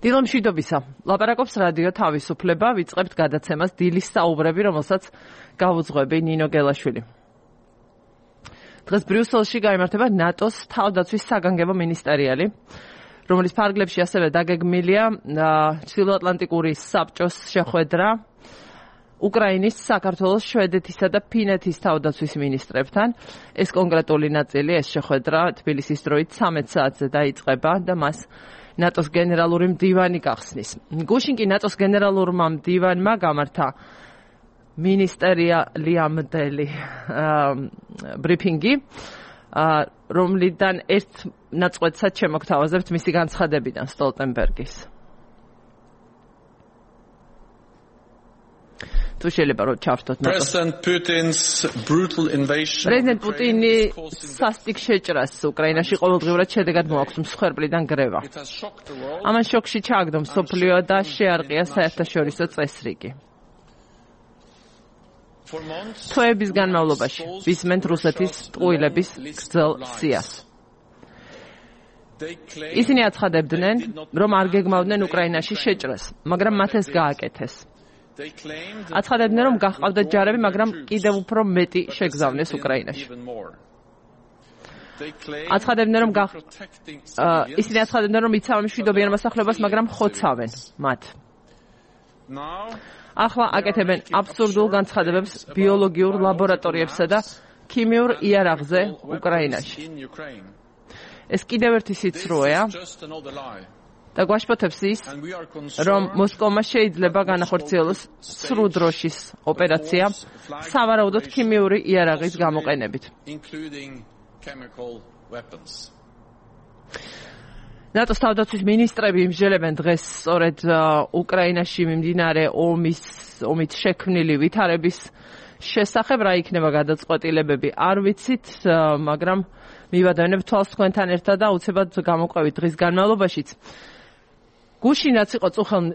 დილომშვიდობისა. ლაპარაკობს რადიო თავისუფლება, ვიწყებთ გადაცემას დილის საუბრები, რომელსაც გავუძღვები ნინო გელაშვილი. დღეს ბრიუსელში გაიმართება ნატოს თავდაცვის საგანგებო მინისტერიალი, რომლის ფარგლებში ასევე დაგეგმილია ჩრდილოატლანტიკური საბჭოს შეხვედრა უკრაინის, საქართველოს, შვედეთისა და ფინეთის თავდაცვის მინისტრებთან. ეს კონკრეტული ნაწილი, ეს შეხვედრა თბილისის დროით 13 საათზე დაიწყება და მას ნატოს გენერალური მდივანი გახსნის. გუშინ კი ნატოს გენერალურმა მდივანმა გამართა მინისტერიალამდელი ბრიფინგი, რომლიდან ერთ ნაწყვეტსაც შემოგთავაზებთ მისი განცხადებიდან სტოლტენბერგის. თუ შეიძლება რომ ჩავთოთ პრეზიდენტ პუტინი სასტიკ შეჭრას უკრაინაში ყოველდღიურად შედეგად მოაქვს მსხვერპლიდან გრევა. ამან შოკში ჩააგდო მსოფლიო და შეარყია საერთაშორისო წესრიგი. თვეების განმავლობაში ვისმენთ რუსეთის ტყუილების გრძელ სიას. ისინი აცხადებდნენ, რომ არ გეგმავდნენ უკრაინაში შეჭრას, მაგრამ მათ ეს გააკეთეს. აცხადებდნენ, რომ გაჰყავდათ ჯარები, მაგრამ კიდევ უფრო მეტი შეგზავნეს უკრაინაში. ისინი აცხადებდნენ, რომ იცავენ მშვიდობიან მოსახლეობას, მაგრამ ხოცავენ მათ. ახლა აკეთებენ აბსურდულ განცხადებებს ბიოლოგიურ ლაბორატორიებსა და ქიმიურ იარაღზე უკრაინაში. ეს კიდევ ერთი სიცრუეა და გვაშფოთებს ის, რომ მოსკოვმა შეიძლება განახორციელოს სრუ დროშის ოპერაცია სავარაუდოდ ქიმიური იარაღის გამოყენებით. ნატოს თავდაცვის მინისტრები იმსჯელებენ დღეს სწორედ უკრაინაში მიმდინარე ომით შექმნილი ვითარების შესახებ, რა იქნება გადაწყვეტილებები არ ვიცით, მაგრამ მივადევნებ თვალს თქვენთან ერთად და უცებად გამოყვებით დღის განმავლობაშიც. გუშინაც იყო წუხელ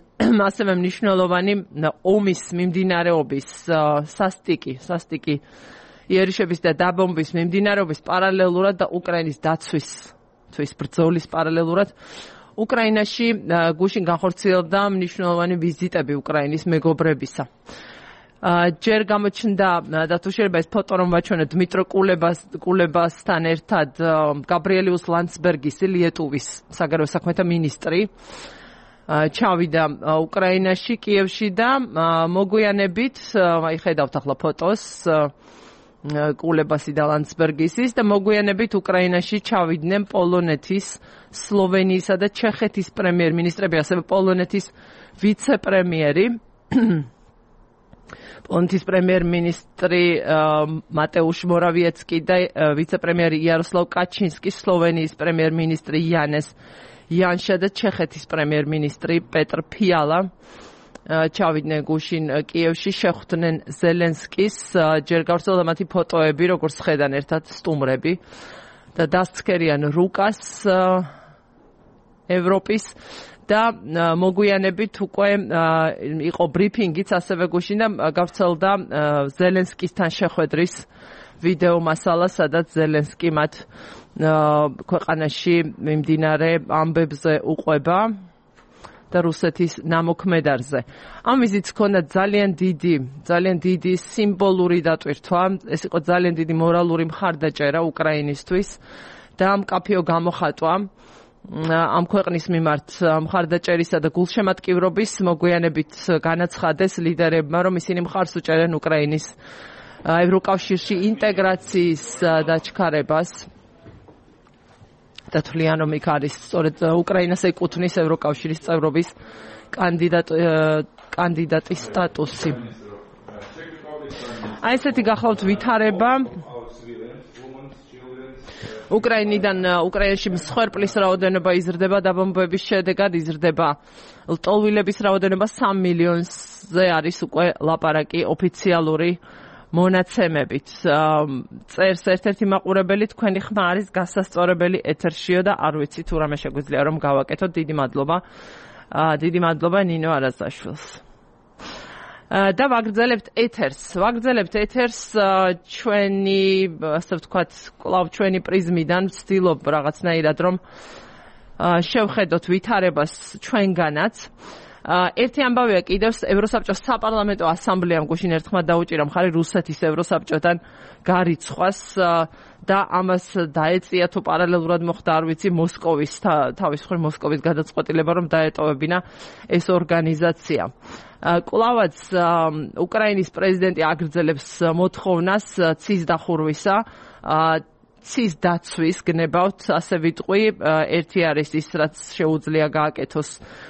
ასევე მნიშვნელოვანი ომის მიმდინარეობის სასტიკი იერიშების და დაბომბვის მიმდინარეობის პარალელურად და უკრაინის დაცვის ბრძოლის პარალელურად უკრაინაში გუშინ განხორციელდა მნიშვნელოვანი ვიზიტები უკრაინის მეგობრებისა. ჯერ გამოჩნდა და თუ შეიძლება ეს ფოტო რომ ვაჩვენოთ დმიტრო კულებასთან ერთად გაბრიელიუს ლანდსბერგისი, ლიეტუვის საგარეო საქმეთა მინისტრი, ჩავიდა უკრაინაში, კიევში და მოგვიანებით, აი ხედავთ ახლა ფოტოს, კულებასი და ლანდსბერგისის და მოგვიანებით უკრაინაში ჩავიდნენ პოლონეთის, სლოვენიისა და ჩეხეთის პრემიერ-მინისტრები, ასევე პოლონეთის ვიცე-პრემიერი, პოლონეთის პრემიერ-მინისტრი მატეუშ მორავიეცკი და ვიცე-პრემიერი იაროსლავ კაჩინსკი, სლოვენიის პრემიერ-მინისტრი იანეს იანშა და ჩეხეთის პრემიერ-მინისტრი პეტრ ფიალა ჩავიდნენ გუშინ კიევში, შეხვდნენ ზელენსკის, ჯერ გავრცელდა მათი ფოტოები, როგორც ხედან ერთად სტუმრები და დასცქერიან რუკას ევროპის და მოგვიანებით უკვე იყო ბრიფინგიც ასევე გუშინ და გავრცელდა ზელენსკისთან შეხვედრის ვიდეო მასალა, სადაც ზელენსკი მათ ქვეყანაში მიმდინარე ამბებზე უყვება და რუსეთის ნამოქმედარზე. ამ ვიზიტს ჰქონდა ძალიან დიდი სიმბოლური დატვირთვა, ეს იყო ძალიან დიდი მორალური მხარდაჭერა უკრაინისთვის და მკაფიო გამოხატვა ამ ქვეყნის მიმართ მხარდაჭერისა და გულშემატკივრობის. მოგვიანებით განაცხადეს ლიდერებმა, რომ ისინი მხარს უჭერენ უკრაინის ევროკავშირში ინტეგრაციის დაჩქარებას და თვლიან, რომ იქ არის სწორედ უკრაინას ეკუთვნის ევროკავშირის წევრობის კანდიდატის სტატუსი. აი ესეთი გახლავთ ვითარება. უკრაინაში მსხვერპლის რაოდენობა იზრდება, დაბომბვების შედეგად იზრდება ლტოლვილების რაოდენობა 3 მილიონზე არის უკვე ლაპარაკი ოფიციალური მონაცემებით. წერს ერთ-ერთი მაყურებელი, თქვენი ხმა არის გასასწორებელი ეთერშიო და არ ვიცი თუ რამე შეგვიძლია რომ გავაკეთოთ. დიდი მადლობა ნინო არაზაშვილს. და ვაგრძელებთ ეთერს ჩვენი, ასე ვთქვათ, კლავ ჩვენი პრიზმიდან ვცდილობ რაღაცნაირად რომ შევხედოთ ვითარებას ჩვენგანაც. ერთი ამბავია კიდევ ევროსაბჭოს საპარლამენტო ასამბლეამ გუშინ ერთხმად დაუჭირა მხარი რუსეთის ევროსაბჭოდან გარიცხვას და ამას დაეწია თუ პარალელურად მოხდა არ ვიცი მოსკოვის თავის მხრივ მოსკოვის გადაწყვეტილება რომ დაეტოვებინა ეს ორგანიზაცია. კვლავაც უკრაინის პრეზიდენტი აგრძელებს მოთხოვნას ცის დახურვისა ცის დაცვის გნებავთ ასე ვიტყვი ერთი არის ის რაც შეუძლია გააკეთოს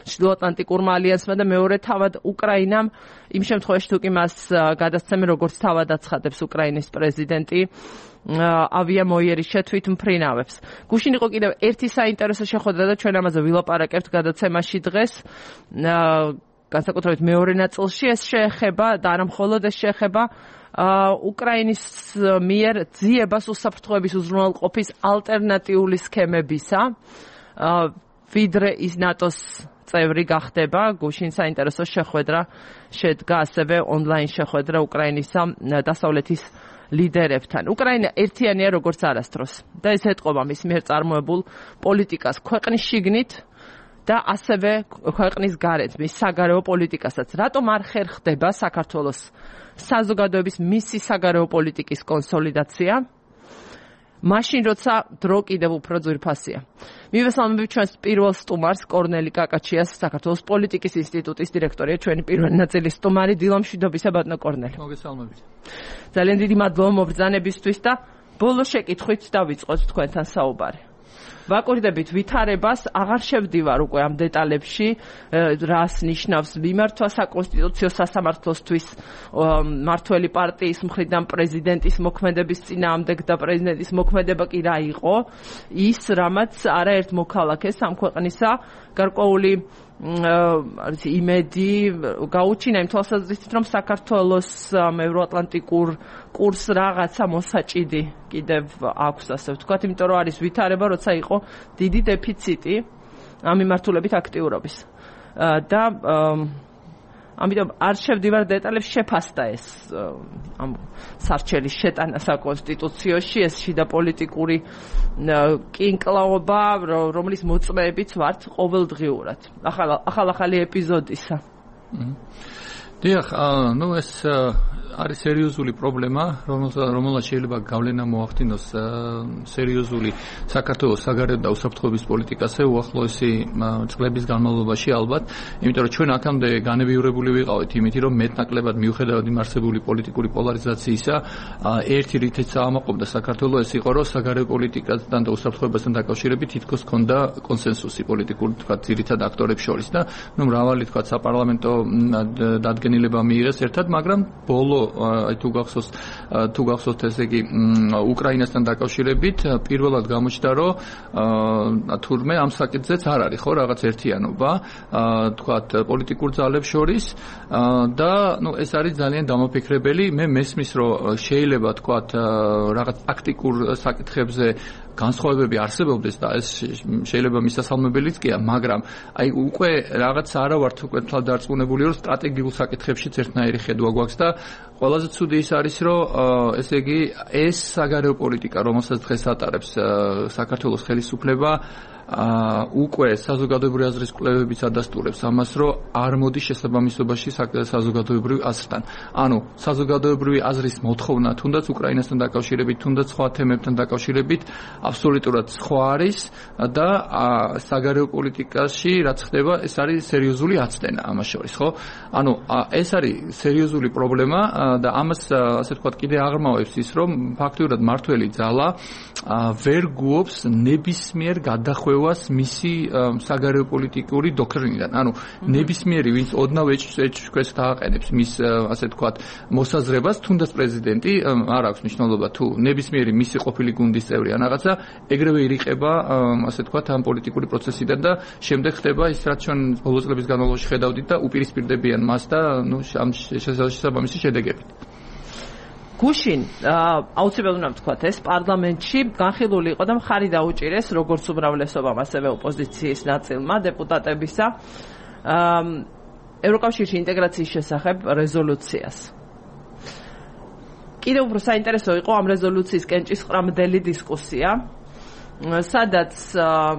ჩრდილოატლანტიკურმა ალიანსმა და მეორე თავად უკრაინამ იმ შემთხვევაში თუ კი მას გადასცემენ როგორც თავად აცხადებს უკრაინის პრეზიდენტი ავიამოიერის შეთვითმფრინავებს. გუშინ იყო კიდევ ერთი საინტერესო შეხვედრა და ჩვენ ამაზე ვილაპარაკებთ გადაცემაში დღეს განსაკუთრებით მეორე ნაწილში ეს შეეხება და არა მხოლოდ ეს შეეხება უკრაინის მიერ ძიებას უსაფრთხოების უზრუნველყოფის ალტერნატიული სქემებისა ვიდრე ის ნატოს წევრი გახდება. გუშინ საინტერესო შეხვედრა შედგა ასევე ონლაინ შეხვედრა უკრაინისა დასავლეთის ლიდერებთან. უკრაინა ერთიანია როგორც არასდროს და ეს ეტყობა მის მიერ წარმოებულ პოლიტიკას ქვეყნის შიგნით და ასევე ქვეყნის გარეთ მის საგარეო პოლიტიკასაც. რატომ არ ხერხდება საქართველოს საზოგადოების მისი საგარეო პოლიტიკის კონსოლიდაცია? მაშინ როცა დრო კიდევ უფრო ძვირფასია. მივესალმებით ჩვენს პირველ სტუმარს კორნელი კაკაჩიას საქართველოს პოლიტიკის ინსტიტუტის დირექტორია ჩვენი პირველი ნაწილის სტუმარი დილამშვიდობისა ბატონო კორნელი. მოგესალმებით. ძალიან დიდი მადლობა მობრძანებისთვის და ბოლო შეკითხვით დავიწყოთ თქვენთან საუბარი. ვაკურდებით ვითარებას, აღარ შევდივარ უკვე ამ დეტალებში, რას ნიშნავს მიმართვა საკონსტიტუციო სასამართლოსთვის მართველი პარტიის მხრიდან პრეზიდენტის მოქმედების წინააღმდეგ და პრეზიდენტის მოქმედება კი რა იყო, ის რამაც არაერთ მოქალაქეს ამ ქვეყნისა გარკვეული იმედი გაუჩინა იმ თვალსაზრისით რომ საქართველოს ევროატლანტიკურ კურს რაღაცა მოსაჭიდი კიდევ აქვს ასე ვთქვათ, იმიტომ რომ არის ვითარება, როცა იყო დიდი დეფიციტი ამ მიმართულებით აქტიურობის და ამიტომ არ შევდივარ დეტალებს, შეფასდა ეს ამ სარჩელის შეტანა საკონსტიტუციაში, ეს შიდა პოლიტიკური კინკლაობა, რომლის მოწმეებიც ვართ ყოველდღიურად. ახალი ეპიზოდისა. დიახ, ეს არის სერიოზული პრობლემა, რომელსაც შეიძლება გავლენა მოახდინოს სერიოზული საქართველოს საგარეო და უსაფრთხოების პოლიტიკაზე უახლოესი წლების განმავლობაში ალბათ, იმიტომ რომ ჩვენ აქამდე განებიურებული ვიყავით იმით, რომ მეტნაკლებად მიუხედავად იმ არსებული პოლიტიკური პოლარიზაციისა, ერთი რითიც აამაყობდა საქართველოს ეს იყო, რომ საგარეო პოლიტიკასთან და უსაფრთხოებასთან დაკავშირებით თითქოს ჰქონდა კონსენსუსი პოლიტიკური, თქვა, ძირითად აქტორებს შორის და მრავალი, თქვა, საპარლამენტო დადგენილება მიიღეს ერთად, მაგრამ ბოლო თუ გახსოვთ ესე იგი უკრაინასთან დაკავშირებით პირველად გამოჩნდა რომ თურმე ამ საკითხზეც არ არის ხო რაღაც ერთიანობა თქვათ პოლიტიკურ ძალებს შორის და ეს არის ძალიან დამაფიქრებელი. მე მესმის რომ შეიძლება თქვათ რაღაც ტაქტიკურ საკითხებზე განსხვავებები არსებობდეს და ეს შეიძლება მისასალმებელიც კი, მაგრამ აი უკვე რაღაც არა ვართ უკვე თვალდარწმუნებული რომ სტრატეგიულ საკითხებშიც ერთნაირი ხედვა გვაქვს და ყველაზე ცუდი ის არის რომ ესე იგი ეს საგარეო პოლიტიკა რომელსაც დღეს ატარებს საქართველოს ხელისუფლება უკვე საზოგადოებრივი აზრის კვლევებიც ადასტურებს ამას, რომ არ მოდის შესაბამისობაში საზოგადოებრივ აზრთან. ანუ საზოგადოებრივი აზრის მოთხოვნა თუნდაც უკრაინასთან დაკავშირებით, თუნდაც სხვა თემებთან დაკავშირებით აბსოლუტურად სხვა არის და საგარეო პოლიტიკაში რაც ხდება, ეს არის სერიოზული აცდენა ამას შორის, ხო? ანუ ეს არის სერიოზული პრობლემა და ამას ასე ვთქვათ კიდე აღრმავებს ის, რომ ფაქტიურად მართველი ძალა ვერ გუობს ნებისმიერ გადახვევას მისი საგარეო პოლიტიკური დოქტრინიდან. ანუ ნებისმიერი, ვინც ოდნავ ეჭვქვეს დააყენებს მის ასე ვთქვათ მოსაზრებას, თუნდაც პრეზიდენტი არ აქვს მნიშვნელობა თუ ნებისმიერი მისი ყოფილი გუნდის წევრი ან რაღაცა, ეგრევე ირიყება ასე ვთქვათ ამ პოლიტიკური პროცესიდან და შემდეგ ხდება ის, რაც ჩვენ ბოლო წლების განმავლობაში ხედავდით და უპირისპირდებიან მას და ამ შესაბამისი შედეგებით. გუშინ აუცილებლად უნდა ვთქვათ ეს პარლამენტში განხილული იყო და მხარი დაუჭირეს როგორც უმრავლესობამ ასევე ოპოზიციის ნაწილმა დეპუტატებისა ევროკავშირში ინტეგრაციის შესახებ რეზოლუციას. კიდევ უფრო საინტერესო იყო ამ რეზოლუციის კენჭისყრამდელი დისკუსია სადაც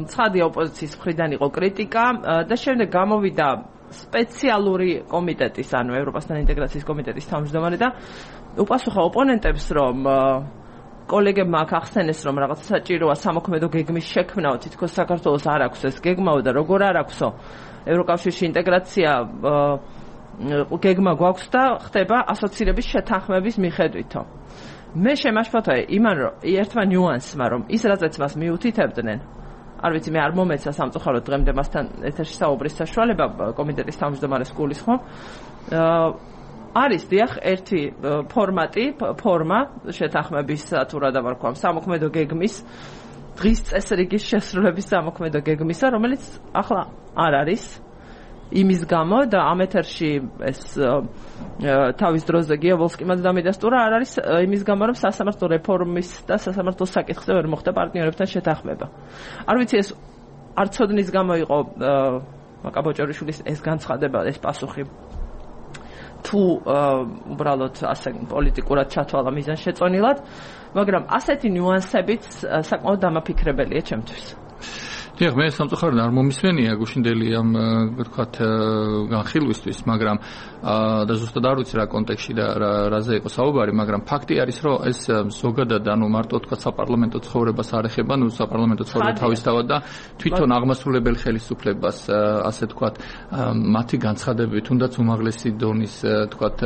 ცხადი ოპოზიციის მხრიდან იყო კრიტიკა და შემდეგ გამოვიდა სპეციალური კომიტეტის, ანუ ევროპასთან ინტეგრაციის კომიტეტის თავმჯდომარე და უპასუხა ოპონენტებს, რომ კოლეგებმა აქ ახსენეს, რომ რაღაც საჭიროა სამოქმედო გეგმის შექმნაო, თითქოს საქართველოს არ აქვს ეს გეგმაო და როგორ არ აქვსო ევროკავშირში ინტეგრაცია გეგმა გვაქვს და ხდება ასოცირების შეთანხმების მიხედვითო. მე შემაშფოთე იმან რომ ერთმა ნიუანსმა რომ ის რაზეც მას მიუთითებდნენ არ ვიცი მე არ მომეცა სამწუხაროდ დღემდე მასთან ეთერში საუბრის საშუალება კომიტეტის თავმჯდომარეს გულისხმობ არის დიახ ერთი ფორმა შეთანხმების თუ რა დავარქვა სამოქმედო გეგმის დღის წესრიგის შესრულების სამოქმედო გეგმისა რომელიც ახლა არ არის იმის გამო და ამ ეთერში ეს თავის დროზე გიაბოლსკიმაც დამედასტურა არ არის იმის გამო რომ სასამართლო რეფორმის და სასამართლო საკითხზე ვერ მოხდა პარტნიორებთან შეთანხმება. არ ვიცი ეს არ ცოდნის გამო იყო მაკაბოჭორიშვილის ეს განცხადება ეს პასუხი თუ უბრალოდ ასე პოლიტიკურად ჩათვალა მიზანშეწონილად, მაგრამ ასეთი ნიუანსებიც საკმაოდ დამაფიქრებელია ჩემთვის. დიახ, მე სამწუხაროდ არ მომისმენია გუშინდელი ამ ვთქვათ განხილვისთვის, მაგრამ და ზუსტად არ ვიცი რა კონტექსტში და რაზე იყო საუბარი, მაგრამ ფაქტი არის, რომ ეს ზოგადად ანუ მარტო ვთქვათ საპარლამენტო ცხოვრებას არ ეხება, ნუ საპარლამენტო ცხოვრება თავისთავად და თვითონ აღმასრულებელ ხელისუფლებას, ასე ვთქვათ, მათი განცხადებები, თუნდაც უმაღლესი დონის, ვთქვათ,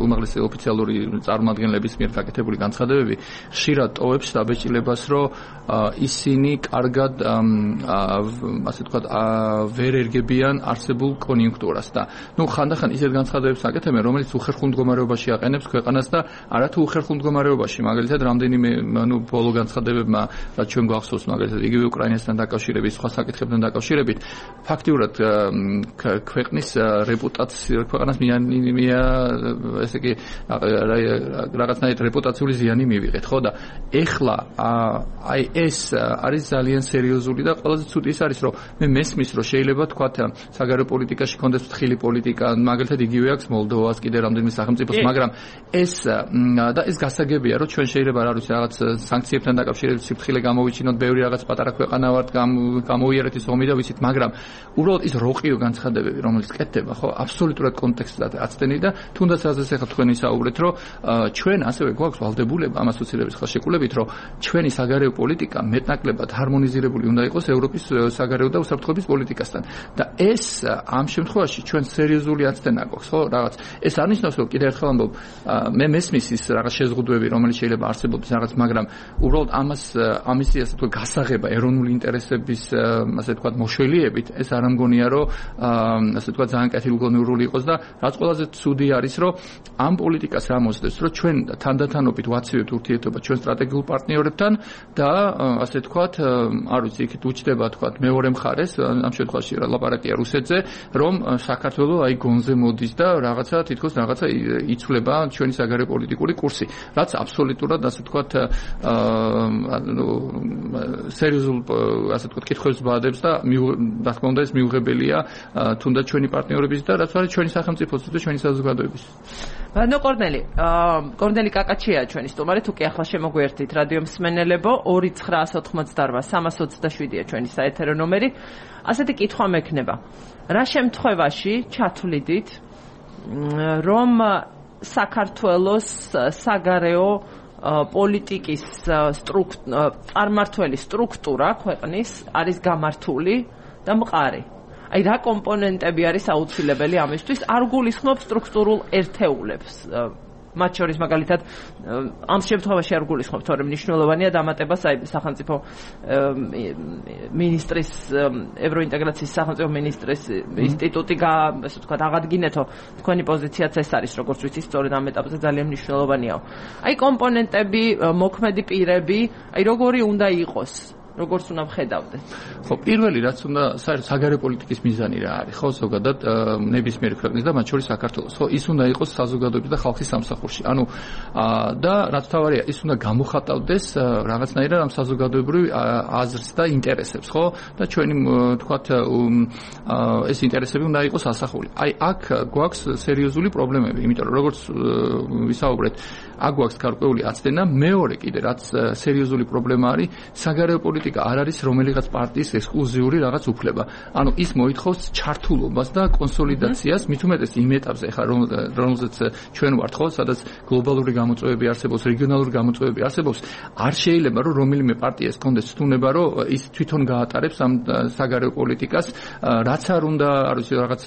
უმაღლესი ოფიციალური წარმომადგენლების მიერ გაკეთებული განცხადებები ხშირად ტოვებს დაბეჭდილებას, რომ ისინი კარგად ასე ვთქვათ, ვერ ერგებიან არსებულ კონიუნქტურას და ნუ ხანდახან ისეთ განცხადებებს აკეთებენ, რომელიც უხერხულ მდგომარეობაში აყენებს ქვეყანას და არათუ უხერხულ მდგომარეობაში, მაგალითად, რამდენიმე ანუ ბოლო განცხადებებმა, რაც ჩვენ გვახსოვს, მაგალითად, იგივე უკრაინასთან დაკავშირებით, სხვა საკითხებთან დაკავშირებით, ფაქტიურად ქვეყნის რეპუტაცია, ქვეყანას ესე იგი რაღაცნაირად რეპუტაციული ზიანი მივიღეთ, ხო და ეხლა აი ეს არის ძალიან სერიოზული და ყველაზე ცუდი ის არის, რომ მე მესმის, რომ შეიძლება თქვათ საგარეო პოლიტიკაში კონდეს ფრთხილი პოლიტიკა, მაგალითად იგივე აქვს მოლდოვას კიდე რამდენიმე სახელმწიფოს, მაგრამ ეს გასაგებია, რომ ჩვენ შეიძლება არ ვიცი რაღაც სანქციებთან დაკავშირებით სიფრთხილე გამოვიჩინოთ, ბევრი რაღაც პატარა ქვეყანა ვართ, გამოვიარეთ ის ომი და ვიცით, მაგრამ უბრალოდ ის როყიო განცხადებები, რომელიც კეთდება, ხო, აბსოლუტურად კონტექსტად აცდენი და თუნდაც რაზეც ახლა თქვენ ისაუბრეთ, რომ ჩვენ ასევე გვაქვს ვალდებულება ამ ასოცირების ხელშეკრულებით, რომ ჩვენი საგარეო პოლიტიკა მეტნაკლებად ჰარმონიზირებული უნდა იყოს ევროპის საგარეო და უსაფრთხოების პოლიტიკასთან. და ეს ამ შემთხვევაში ჩვენ სერიოზული აცდენა გვაქვს, ხო, რაღაც. ეს არ ნიშნავს, რომ კიდევ ერთხელ ამბობ, მე მესმის ის რაღაც შეზღუდვები, რომელიც შეიძლება არსებობდეს რაღაც, მაგრამ უბრალოდ ამის ასე თქვა გასაღება ეროვნული ინტერესების ასე თქვა მოშველიებით, ეს არ ამგონია, რომ ასე თქვა ძალიან კეთილგონიურული იყოს და რაც ყველაზე ცუდი არის, რომ ამ პოლიტიკას ამოსდეს, რომ ჩვენ თანდათანობით ვაცივებთ ურთიერთობა ჩვენ სტრატეგიულ პარტნიორებთან და ასე თქვათ, არ ვიცი, იქით უჩდება თქვათ მეორე მხარეს, ამ შემთხვევაში ლაპარაკია რუსეთზე, რომ საქართველოს აი გონზე მოდის და რაღაცა თითქოს რაღაცა იცვლება ჩვენი საგარეო პოლიტიკური კურსი, რაც აბსოლუტურად ასე თქვათ სერიოზულ ასე თქვათ კითხვებს ბადებს და რა თქმა უნდა ეს მიუღებელია თუნდაც ჩვენი პარტნიორების და რაც არის ჩვენი სახელმწიფოსთვის და ჩვენი საზოგადოების. ნუ კორნელი კაკაჩია ჩვენი სტუმარი, თუ კი ახლა შემოგვიერთით რადიო მსმენელებო 2988-327-ია ჩვენი საეთერო ნომერი. ასეთი კითხვა მექნება. რა შემთხვევაში ჩათვლიდით, რომ საქართველოს საგარეო პოლიტიკის წარმართველი სტრუქტურა ქვეყნის არის გამართული და მყარი? აი რა კომპონენტები არის აუცილებელი ამისთვის? არ გულისხმობ სტრუქტურულ ერთეულებს. მათ შორის მაგალითად ამ შემთხვევაში არ გულისხმობ, თორემ მნიშვნელოვანია დამატებას აი სახელმწიფო მინისტრის ევროინტეგრაციის სახელმწიფო მინისტრის ინსტიტუტი ასე ვთქვათ აღადგინეთო. თქვენი პოზიციაც ეს არის, როგორც ვიცი, სწორედ ამ ეტაპზე ძალიან მნიშვნელოვანია. აი კომპონენტები, მოქმედი პირები, აი როგორი უნდა იყოს? როგორც უნდა ვხედავდეთ? ხო, პირველი რაც უნდა საგარეო პოლიტიკის მიზანი რა არის, ხო, ზოგადად ნებისმიერი ქვეყნის და მათ შორის საქართველოს. ხო, ის უნდა იყოს საზოგადოების და ხალხის სამსახურში. ანუ და რაც თავარია, ის უნდა გამოხატავდეს რაღაცნაირად ამ საზოგადოებრივ აზრს და ინტერესებს, ხო? და ჩვენი თქვათ ეს ინტერესები უნდა იყოს ასახული. აი, აქ გვაქვს სერიოზული პრობლემები, იმიტომ რომ როგორც ვისაუბრეთ, აქ გვაქვს გარკვეული აცდენა, მეორე კიდე რაც სერიოზული პრობლემა არის, საგარეო პოლიტიკის პოლიტიკა არ არის რომელიღაც პარტიის ექსკლუზიური რაღაც უფლება. ანუ ის მოითხოვს ჩართულობას და კონსოლიდაციას, მით უმეტეს იმ ეტაპზე, ხა რომელზეც ჩვენ ვართ ხო, სადაც გლობალური გამოწვევები არსებობს, რეგიონალური გამოწვევები არსებობს, არ შეიძლება რომ რომელიმე პარტიას კონდეს თუნება, რომ ის თვითონ გაატარებს ამ საგარეო პოლიტიკას, რაც არ უნდა, არ ვიცი, რაღაც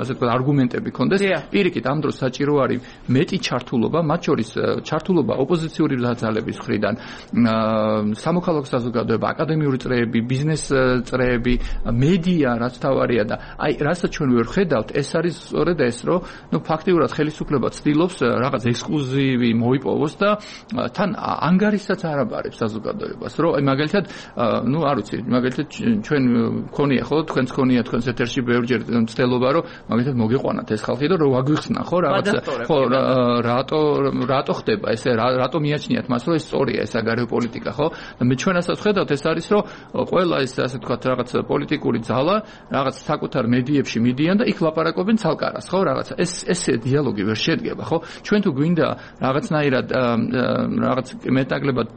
ასე ვთქვათ, არგუმენტები კონდეს. პირიქით, ამ დროს საჭირო არის მეტი ჩართულობა, მათ შორის ჩართულობა ოპოზიციური ძალების მხრიდან, სამოქალაქო საზოგადოება, აკადემიური წრეები, ბიზნეს წრეები, მედია, რაც თავარია და აი, რასაც ჩვენ ვერ ხედავთ, ეს არის სწორედ ეს, რომ ნუ ფაქტიურად ხელისუფლება ცდილობს რაღაც ექსკლუზივი მოიპოვოს და თან ანგარიშსაც არ აბარებს საზოგადოებას, რომ აი მაგალითად, ნუ არ ვიცი, მაგალითად ჩვენ მქონია ხო, თქვენც მქონია თქვენს ეთერში ბევრჯერ მცდელობა, რომ მაგალითად მოგიყვანათ ეს ხალხი და რომ ვაგვიხსნა ხო რაღაც ხო რატო ხდება ესე, რატო მიაჩნიათ მას, რომ ეს სწორია ეს საგარეო პოლიტიკა, ხო? და მე ჩვენასაც ხედავთ, ეს არის, რომ ყველა ეს ასე ვთქვათ, რაღაც პოლიტიკური ძალა, რაღაც საკუთარ მედიებში მიდიან და იქ ლაპარაკობენ ცალკარას, ხო, რაღაცა. ესე დიალოგი ვერ შედგება, ხო? ჩვენ თუ გვინდა რაღაცნაირად რაღაც მეტნაკლებად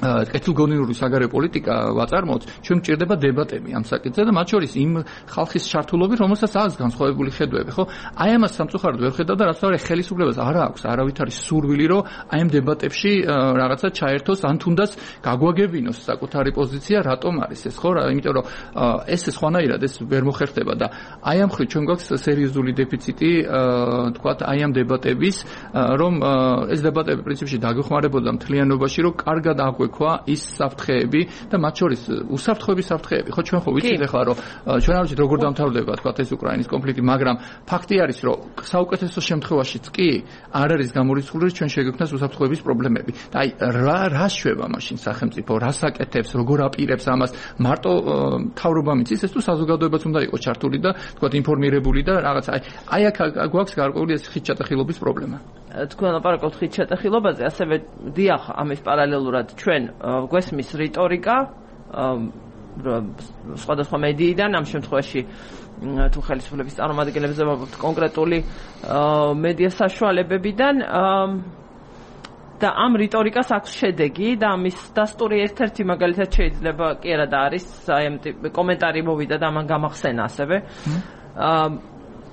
კეთილგონიური საგარეო პოლიტიკა ვაწარმოოთ, ჩვენ გვჭირდება დებატები ამ საკითხზე და მათ შორის იმ ხალხის ჩართულობით, რომელსაც აქვს განსხვავებული ხედვები, ხო? აი ამას სამწუხაროდ ვერ ხედავ და რაც თავი ხელისუფლებას არ აქვს არავითარი სურვილი, რომ აი ამ დებატებში რაღაცა ჩაერთოს, ან თუნდაც გაგვაგებინოს საკუთარი პოზიცია, რატომ არის ეს, ხო? იმიტომ რომ ეს სხვანაირად ეს ვერ მოხერხდება და აი ამ ხრი ჩვენ გვაქვს სერიოზული დეფიციტი, თქვათ, აი ამ დებატების, რომ ეს დებატები პრინციპში დაგვეხმარებოდა მთლიანობაში, რომ კარგად აღვექვა ის საფრთხეები და მათ შორის უსაფრთხოების საფრთხეები. ხო, ჩვენ ხო ვიცით ახლა, რომ ჩვენ არ ვიცით როგორ დამთავრდება, თქვათ, ეს უკრაინის კონფლიქტი, მაგრამ ფაქტი არის, რომ საუკეთესო შემთხვევაშიც კი არ არის გამორიცხული, რომ ჩვენ შეგვექმნას უსაფრთხოების პრობლემები. და აი, რა შვება მაშინ სახელმწიფო, რას აკეთებს, როგორ აპირებს ამას, მარტო მთავრობა მიცის, ეს თუ საზოგადოებაც უნდა იყოს ჩართული და თქვათ, ინფორმირებული და რაღაც აი აქ გვაქვს გარკვეული ეს ხიჭატახილობის პრობლემა. თქვენ ლაპარაკობთ ხიჭატახილობაზე, ასევე დიახ, ამის პარალელურად ჩვენ გვესმის რიტორიკა სხვადასხვა მედიიდან, ამ შემთხვევაში თუ ხელისუფლების წარმომადგენლებზე ვაქვთ კონკრეტული მედია საშუალებებიდან და ამ რიტორიკას აქვს შედეგი და ამის დასტური ერთ-ერთი მაგალითად შეიძლება კი არა და არის აი ამ კომენტარი მოვიდა და ამან გამახსენა ასევე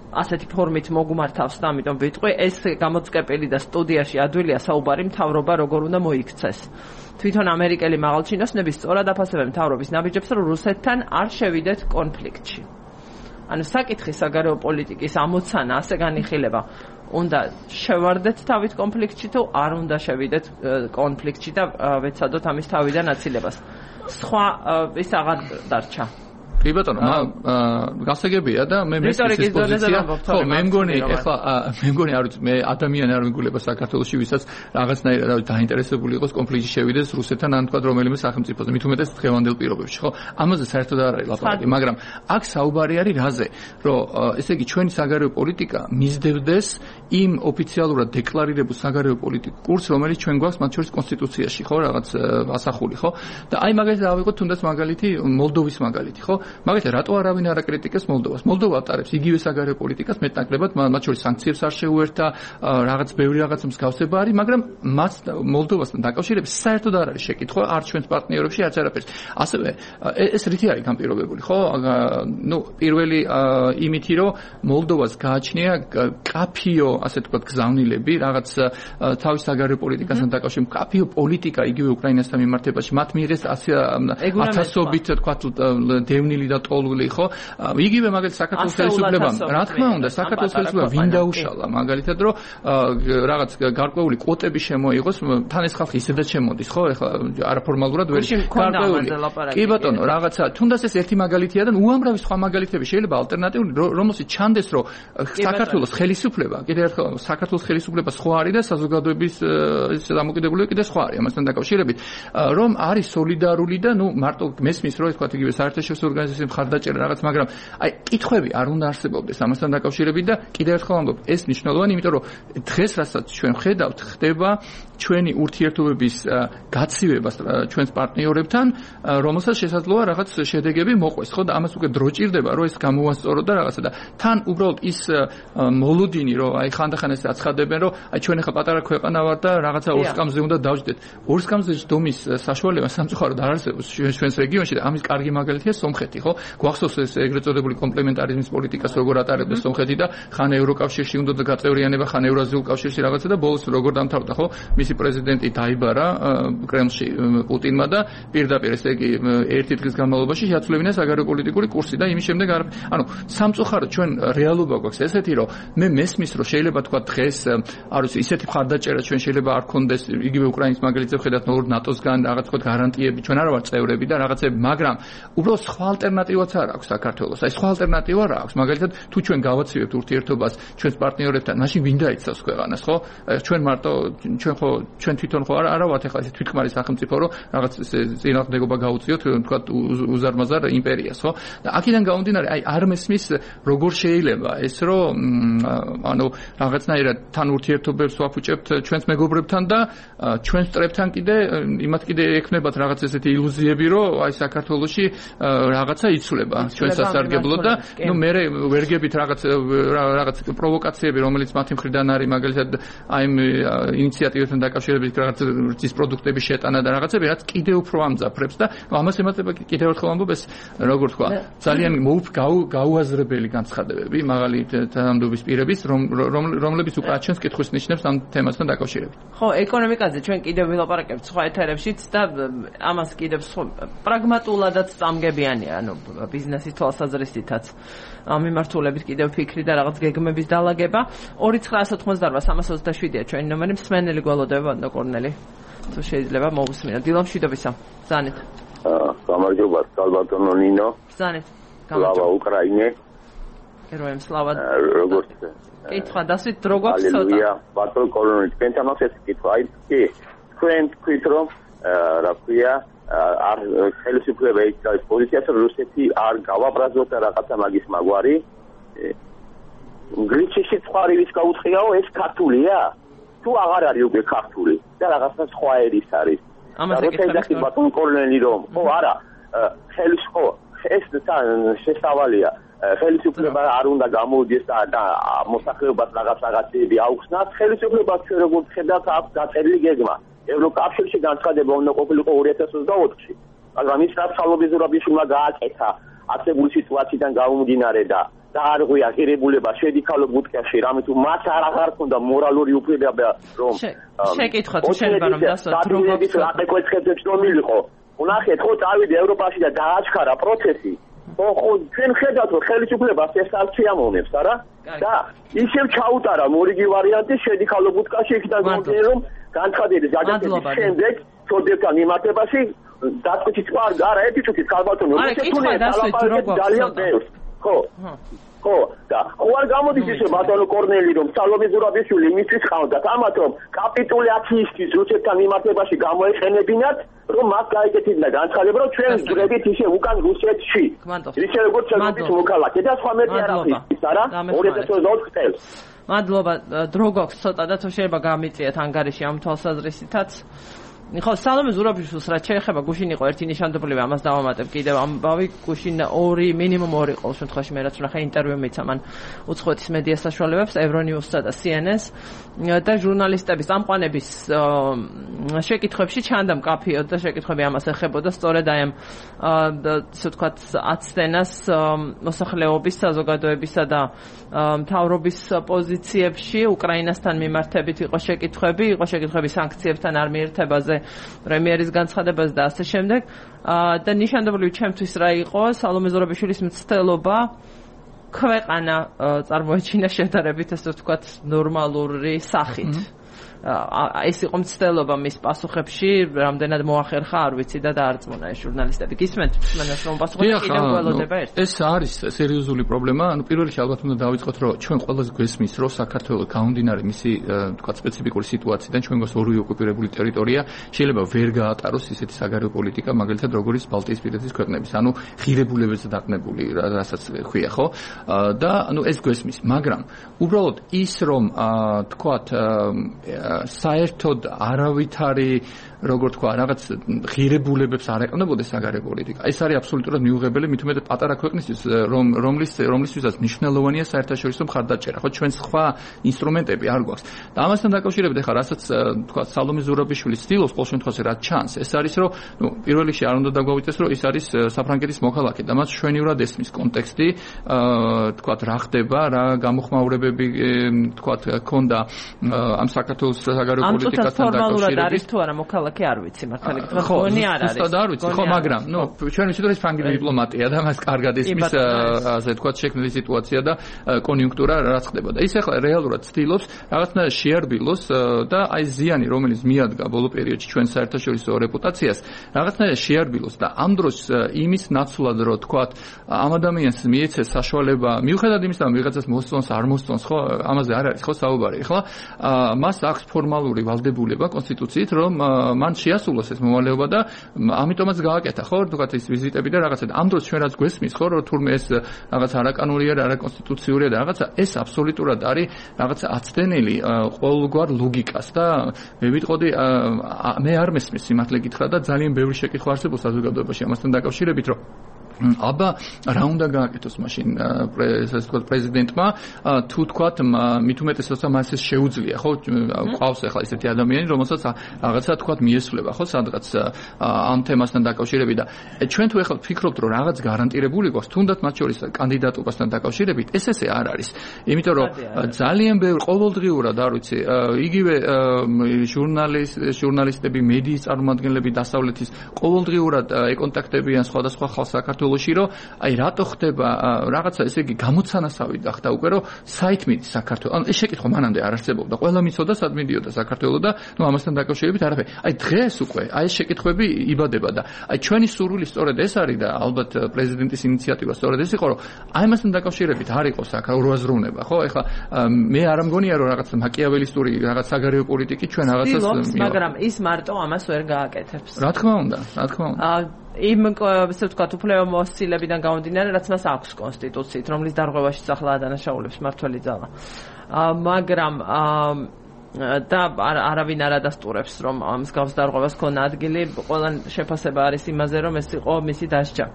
ასეთი ფორმით მოგუმართავს და ამიტომ ვიტყვი ეს გამოწყეპილი და სტუდიაში ადვილია საუბარი მთავრობა როგორ უნდა მოიქცეს. თვითონ ამერიკელი მაღალჩინოსნები სწორად აფასებენ მთავრობის ნაბიჯებს, რომ რუსეთთან არ შევიდეთ კონფლიქტში. ანუ საკითხი საგარეო პოლიტიკის ამოცანა ასე განიხილება. უნდა შევარდეთ თავით კონფლიქტში თუ არ უნდა შევიდეთ კონფლიქტში და ვეცადოთ ამის თავიდან აცილებას. სხვა ის აღარ დარჩა. კი ბატონო, გასაგებია და მე მესმის პოზიცია. ხო, მე მგონი არ ვიცი, მე ადამიანი არ მიგულება საქართველოში, ვისაც რაღაცნაირად დაინტერესებული იყოს კონფლიქტში შევიდეს რუსეთთან ან თქვა რომელიმე სახელმწიფოზე, მით უმეტეს დღევანდელ პირობებში, ხო? ამაზე საერთოდ არ არის ლაპარაკი, მაგრამ აქ საუბარი არის რაზე, რომ ესე იგი ჩვენი საგარეო პოლიტიკა მისდევდეს იმ ოფიციალურად დეკლარირებულ საგარეო პოლიტიკურ კურსს, რომელიც ჩვენ გვაქვს მათ შორის კონსტიტუციაში, ხო, რაღაც ასახული, ხო? და აი მაგალითად ავიღოთ თუნდაც მაგალითი მოლდოვის მაგალითი, ხო? მაგალითად, რატო არავინ არ აკრიტიკებს მოლდოვას? მოლდოვა ატარებს იგივე საგარეო პოლიტიკას, მეტნაკლებად, მათ შორის სანქციებს არ შეუერთა, რაღაც ბევრი რაღაც მსგავსება არის, მაგრამ მას მოლდოვასთან დაკავშირებით საერთოდ არ არის შეკითხვა, არც ჩვენს პარტნიორებში, არც არაფერს. ასევე ეს რითი არის ამ პირობებული, ხო? ნუ პირველი იმითი, რომ მოლდოვას გააჩნია კაფიო, ასე ვთქვათ, გზავნილები, რაღაც თავის საგარეო პოლიტიკასთან დაკავშირებით, კაფიო პოლიტიკა იგივე უკრაინასთან მიმართებაში, მათ მიიღეს ათასობით, თქვათ, დევნილი და ტოლული, ხო? იგივე მაგალითად საქართველოს ხელისუფლებამ, რა თქმა უნდა, საქართველოს ხელისუფლებამ ვინ დაუშალა, მაგალითად, რომ რაღაც გარკვეული კვოტები შემოიღოს, თან ეს ხალხი ისედაც შემოდის, ხო? ეხლა არაფორმალურად ვერ გარკვეული. კი ბატონო, რაღაცა, თუნდაც ეს ერთი მაგალითია და უამრავი სხვა მაგალითები შეიძლება ალტერნატიული, რომელშიც ჩანდეს, რომ საქართველოს ხელისუფლება, კიდევ ერთხელ საქართველოს ხელისუფლება სხვა არის და საზოგადოების დამოკიდებულება კიდევ სხვა არის ამასთან დაკავშირებით, რომ არის სოლიდარული და ნუ მარტო მესმის, რომ თქვა იგივე საერთაშორისო აზიის მხარდაჭერა რაღაც, მაგრამ აი კითხვები არ უნდა არსებობდეს ამასთან დაკავშირებით და კიდევ ერთხელ ვამბობ, ეს მნიშვნელოვანი, იმიტომ რომ დღეს რასაც ჩვენ ხედავთ, ხდება ჩვენი ურთიერთობების გაცივება ჩვენს პარტნიორებთან, რომელსაც შესაძლოა რაღაც შედეგები მოყვეს, ხო და ამას უკვე დრო ჭირდება, რომ ეს გამოვასწოროთ და რაღაცა და თან უბრალოდ ის მოლოდინი, რომ აი ხანდახან ეს აცხადებენ, რომ აი ჩვენ ახლა პატარა ქვეყანა ვართ და რაღაცა ორსკამზე უნდა დავждეთ. ორსკამზე ჯდომის საშუალება სამწუხაროდ არ არსებობს ჩვენს რეგიონში და ამის კარგი მაგალითია სომხეთი, ხო? გვახსოვს ეს ეგრეთ წოდებული კომპლემენტარიზმის პოლიტიკას როგორ ატარებდა სომხეთი და ხან ევროკავშირში უნდა გაწევრიანება, ხან ევრაზიულ კავშირში რაღაცა და ბოლოს როგორ დამთავრდა, ხო? მისი პრეზიდენტი დაიბარა კრემლში პუტინმა და პირდაპირ ესე იგი ერთი დღის განმავლობაში შეაცვლებინა საგარეო პოლიტიკური კურსი და იმის შემდეგ ანუ სამწუხაროდ ჩვენ რეალობა გვაქვს ესეთი, რომ მე მესმის, რომ შეიძლება თქვა დღეს არ ვიცი ისეთი მხარდაჭერა ჩვენ შეიძლება არ ქონდეს იგივე უკრაინის მაგალითზე ხედავთ ნატოსგან რაღაც თქვა გარანტიები, ჩვენ არ ვართ წევრები და რაღაცები, მაგრამ უბრალოდ სხვა ალტერნატივაც არ აქვს საქართველოს. აი სხვა ალტერნატივა რა აქვს? მაგალითად თუ ჩვენ გავაცივებთ ურთიერთობას ჩვენს პარტნიორებთან, მაშინ ვინ დაიცავს ქვეყანას, ხო? ჩვენ მარტო ჩვენ თვითონ ხო არა ვართ ახლა ეს თვითქმარი სახელმწიფო, რომ რაღაც წინააღმდეგობა გაუწიოთ, თქვა უზარმაზარ იმპერიას, ხო? და აქედან გამომდინარე, აი არ მესმის როგორ შეიძლება ეს, რომ ანუ რაღაცნაირად თან ურთიერთობებს ვაფუჭებთ ჩვენს მეგობრებთან და ჩვენ სწრებთან იმათ კიდე ექნებათ რაღაც ესეთი ილუზიები, რომ აი საქართველოში რაღაცა იცვლება ჩვენ სასარგებლოდ და ნუ მე ვერგებით რაღაც პროვოკაციები, რომელიც მათი მხრიდან არის, მაგალითად აი ინიციატივებთან დაკავშირებით რაღაც რძის პროდუქტების შეტანა და რაღაცები, რაც კიდევ უფრო ამძაფრებს და ამას ემატება კიდევ ერთხელ ამბობ ეს როგორ თქვა, ძალიან გაუაზრებელი განცხადებები მაღალი თანამდებობის პირების, რომლებიც უკვე აჩვენს კითხვის ნიშნებს ამ თემასთან დაკავშირებით. ხო, ეკონომიკაზე ჩვენ კიდევ ვილაპარაკებთ სხვა ეთერებშიც და ამას კიდევ პრაგმატულადაც წამგებიანია, ანუ ბიზნესის თვალსაზრისითაც მიმართულებით კიდევ ფიქრი და რაღაც გეგმების დალაგება. 29988-327-ია ჩვენი ნომერი, მსმენელი გველოდება ბანდო კორნელი. თუ შეიძლება მოვუსმინოთ. დილო მშვიდობისა. ბრძანეთ. გამარჯობა, სალვადორო ნინო. ბრძანეთ. სლავა უკრაინე. გეროემ სლავა. როგორც კითხვა დასვით დრო გვაქვს ცოტა. ალელუია, ბატონო კორნელი, თქვენთან ეს კითხვა აი კი თქვენ თქვით რომ რა ქვია არ ხელისუფლება იცავს პოზიციას, რომ რუსეთი არ გავაბრაზოთ და რაღაცა მაგის მაგვარი. გრიჩიში ცხარივის გაუწყიაო, ეს ქართულია? თუ აღარ არის უკვე ქართული და რაღაცა სხვა ერის არის. ამას ეკითხები ბატონო კორნელი რომ ხო არა ხელისუფლება ეს შესავალია. ხელისუფლება არ უნდა გამოვიდეს და მოსახლეობას რაღაცები აუხსნათ. ხელისუფლებას ჩვენ როგორც ხედავთ აქვს დაწერილი გეგმა. ევროკავშირში განცხადება უნდა ყოფილიყო 2024-ში. მაგრამ ის რაცალობის ზურაბიშვილმა გააკეთა არსებული სიტუაციიდან გამომდინარე და დაარღვია ღირებულება შედიქალო ბუდკაში, რამე თუ მათ აღარ ჰქონდა მორალური უფლება რომ შეკითხვა თუ შეიძლება რომ დასვათ დროგების რაკეკვეცხებს რომ მილიყო. უნახეთ ხო წავიდა ევროპაში და დააჩქარა პროცესი. ხო ჩვენ ხედავთ რომ ხელისუფლებას ეს არ შეამოვნებს, არა? და ისევ ჩაუტარა მორიგი ვარიანტი შედიქალო ბუდკაში, იქიდან გამომდინარე რომ განცხადების გადაწყვეტის შემდეგ ცოდებთან მიმართებაში დაწყითი სხვა არა ერთი წუთით ქალბატონო ძალიან ბევრს ხო და ხო არ გამოდის ისე ბატონო კორნელი რომ სალომე ზურაბიშვილი იმისთვის ყავდათ ამათ რომ კაპიტულაციისთვის რუსეთთან მიმართებაში გამოეყენებინათ რომ მას გაეკეთებინა განცხადება რომ ჩვენ ვძვრებით ისე უკან რუსეთში ისე როგორც ჩვენთვის მოქალაქე და სხვა მეტი არ არის არა 2024 წელს მადლობა დრო გვაქვს ცოტა და თუ შეიძლება გამიწიეთ ანგარიში ამ თვალსაზრისითაც ხო სალომე ზურაბიშვილს რაც შეეხება გუშინ იყო ერთი ნიშანდობლივი ამას დავამატებ კიდევ ამბავი გუშინ მინიმუმ ორი ყოველ შემთხვევაში მე რაც ვნახე ინტერვიუ მიცა მან უცხოეთის მედია საშუალებებს ევრონიუსსა და CNN-ს და ჟურნალისტების წამყვანების შეკითხვებში ჩანდა მკაფიოდ და შეკითხვები ამას ეხებოდა სწორედ აი ამ ისე ვთქვათ აცდენას მოსახლეობის საზოგადოებისა და მთავრობის პოზიციებში უკრაინასთან მიმართებით იყო შეკითხვები სანქციებთან არ მიერთებაზე პრემიერის განცხადებაზე და ასე შემდეგ და ნიშანდობლივი ჩემთვის რა იყო სალომე ზურაბიშვილის მცდელობა ქვეყანა წარმოეჩინა შედარებით ასე ვთქვათ ნორმალური სახით ეს იყო მცდელობა მის პასუხებში, რამდენად მოახერხა, არ ვიცი და დაარწმუნა ეს ჟურნალისტები. გისმენთ მსმენელს რომ პასუხები კიდევ გველოდება ერთ. ეს არის სერიოზული პრობლემა. პირველ რიგში ალბათ უნდა დავიწყოთ, რომ ჩვენ ყველას გვესმის, რომ საქართველოს გამომდინარე მისი თქვა სპეციფიკური სიტუაციიდან ჩვენ გვაქვს ორივე ოკუპირებული ტერიტორია, შეიძლება ვერ გაატაროს ისეთი საგარეო პოლიტიკა, მაგალითად როგორც ბალტიისპირეთის ქვეყნების, ანუ ღირებულებებზე დაყნებული, რასაც ქვია, ხო? და ეს გვესმის, მაგრამ უბრალოდ ის რომ თქვათ საერთოდ არავითარი როგორ თქვა, რაღაც ღირებულებებს არ ეყნებოდეს საგარეო პოლიტიკა. ეს არის აბსოლუტურად მიუღებელი, მით უმეტეს პატარა ქვეყნისთვის, რომლისთვისაც მნიშვნელოვანია საერთაშორისო მხარდაჭერა. ხო, ჩვენ სხვა ინსტრუმენტები არ გვაქვს. და ამასთან დაკავშირებით ახლა რასაც თქვა სალომე ზურაბიშვილი ცდილობს ყოველ შემთხვევაში რაც ჩანს, ეს არის რომ პირველ რიგში არ უნდა დაგვავიწყდეს, რომ ის არის საფრანგეთის მოქალაქე და მას შვენივრად ესმის კონტექსტი, თქვა რა ხდება, რა გამოხმაურებები თქვა ქონდა ამ საქართველოს საგარეო პოლიტიკასთან დაკავშირებით. არის თუ არა მოქალაქე არ ვიცი მართალი გითხრათ, გონი არ არის. ხო, არ ვიცი, ხო, მაგრამ ჩვენ ვიცით რომ ეს ფრანგული დიპლომატია და მას კარგად ესმის ასე თქვა შექმნილი სიტუაცია და კონიუნქტურა რაც ხდება და ის ახლა რეალურად ცდილობს რაღაცნაირად შეარბილოს და აი ზიანი რომელიც მიადგა ბოლო პერიოდში ჩვენ საერთაშორისო რეპუტაციას რაღაცნაირად შეარბილოს და ამ დროს იმის ნაცვლად რომ თქვა ამ ადამიანს მიეცეს საშუალება მიუხედავად იმისა რომ ვიღაცას მოსწონს არ მოსწონს ხო ამაზე არ არის ხო საუბარი ახლა მას აქვს ფორმალური ვალდებულება კონსტიტუციით რომ მან შეასრულოს ეს მოვალეობა და ამიტომაც გააკეთა ხო თქვა ის ვიზიტები და რაღაცა ამ დროს ჩვენ რაც გვესმის ხო რომ თურმე ეს რაღაც არაკანონია და არაკონსტიტუციურია და რაღაცა ეს აბსოლუტურად არის რაღაცა აცდენილი ყოველგვარ ლოგიკას და მე ვიტყოდი მე არ მესმის სიმართლე გითხრა და ძალიან ბევრი შეკითხვა არსებობს საზოგადოებაში ამასთან დაკავშირებით რომ აბა რა უნდა გააკეთოს მაშინ ესე ვთქვათ პრეზიდენტმა თუ თქვათ მით უმეტეს როცა მას ეს შეუძლია ხო ყავს ახლა ესეთი ადამიანი რომელსაც რაღაცა თქვათ მიესვლება ხო სადღაც ამ თემასთან დაკავშირებით და ჩვენ თუ ახლა ვფიქრობთ რომ რაღაც გარანტირებული გვაქვს თუნდაც მათ შორის კანდიდატობასთან დაკავშირებით ესე არ არის იმიტომ რომ ძალიან ბევრი ყოველდღიურად არ ვიცი იგივე ჟურნალისტები მედიის წარმომადგენლები დასავლეთის ყოველდღიურად ეკონტაქტებიან სხვადასხვა ხალხს საქართველოში რომ აი რატო ხდება რაღაცა ესე იგი გამოცანასავი გახდა უკვე რომ საით მიდის საქართველო. ანუ ეს შეკითხვა მანამდე არ არსებობდა. ყველა მიცოდა სად მიდიოდა საქართველო და ნუ ამასთან დაკავშირებით არაფერი. აი დღეს უკვე აი ეს შეკითხვები იბადება და აი ჩვენი სურვილი სწორედ ეს არის და ალბათ პრეზიდენტის ინიციატივა სწორედ ეს იყო რომ აი ამასთან დაკავშირებით არ იყოს აქ როაზროვნება, ხო? ეხლა მე არ მგონია რომ რაღაც მაკიაველისტური რაღაც საგარეო პოლიტიკი ჩვენ რაღაცას მაგრამ ის მარტო ამას ვერ გააკეთებს. რა თქმა უნდა, რა თქმა უნდა. იმ ესე ვთქვათ უფლებამოსილებიდან გამომდინარე რაც მას აქვს კონსტიტუციით რომლის დარღვევაში ახლა ადანაშაულებს მართველი ძალა მაგრამ და არავინ არ ადასტურებს რომ ამ მსგავს დარღვევას ქონა ადგილი ყველა შეფასება არის იმაზე რომ ეს იყო მისი დასჯა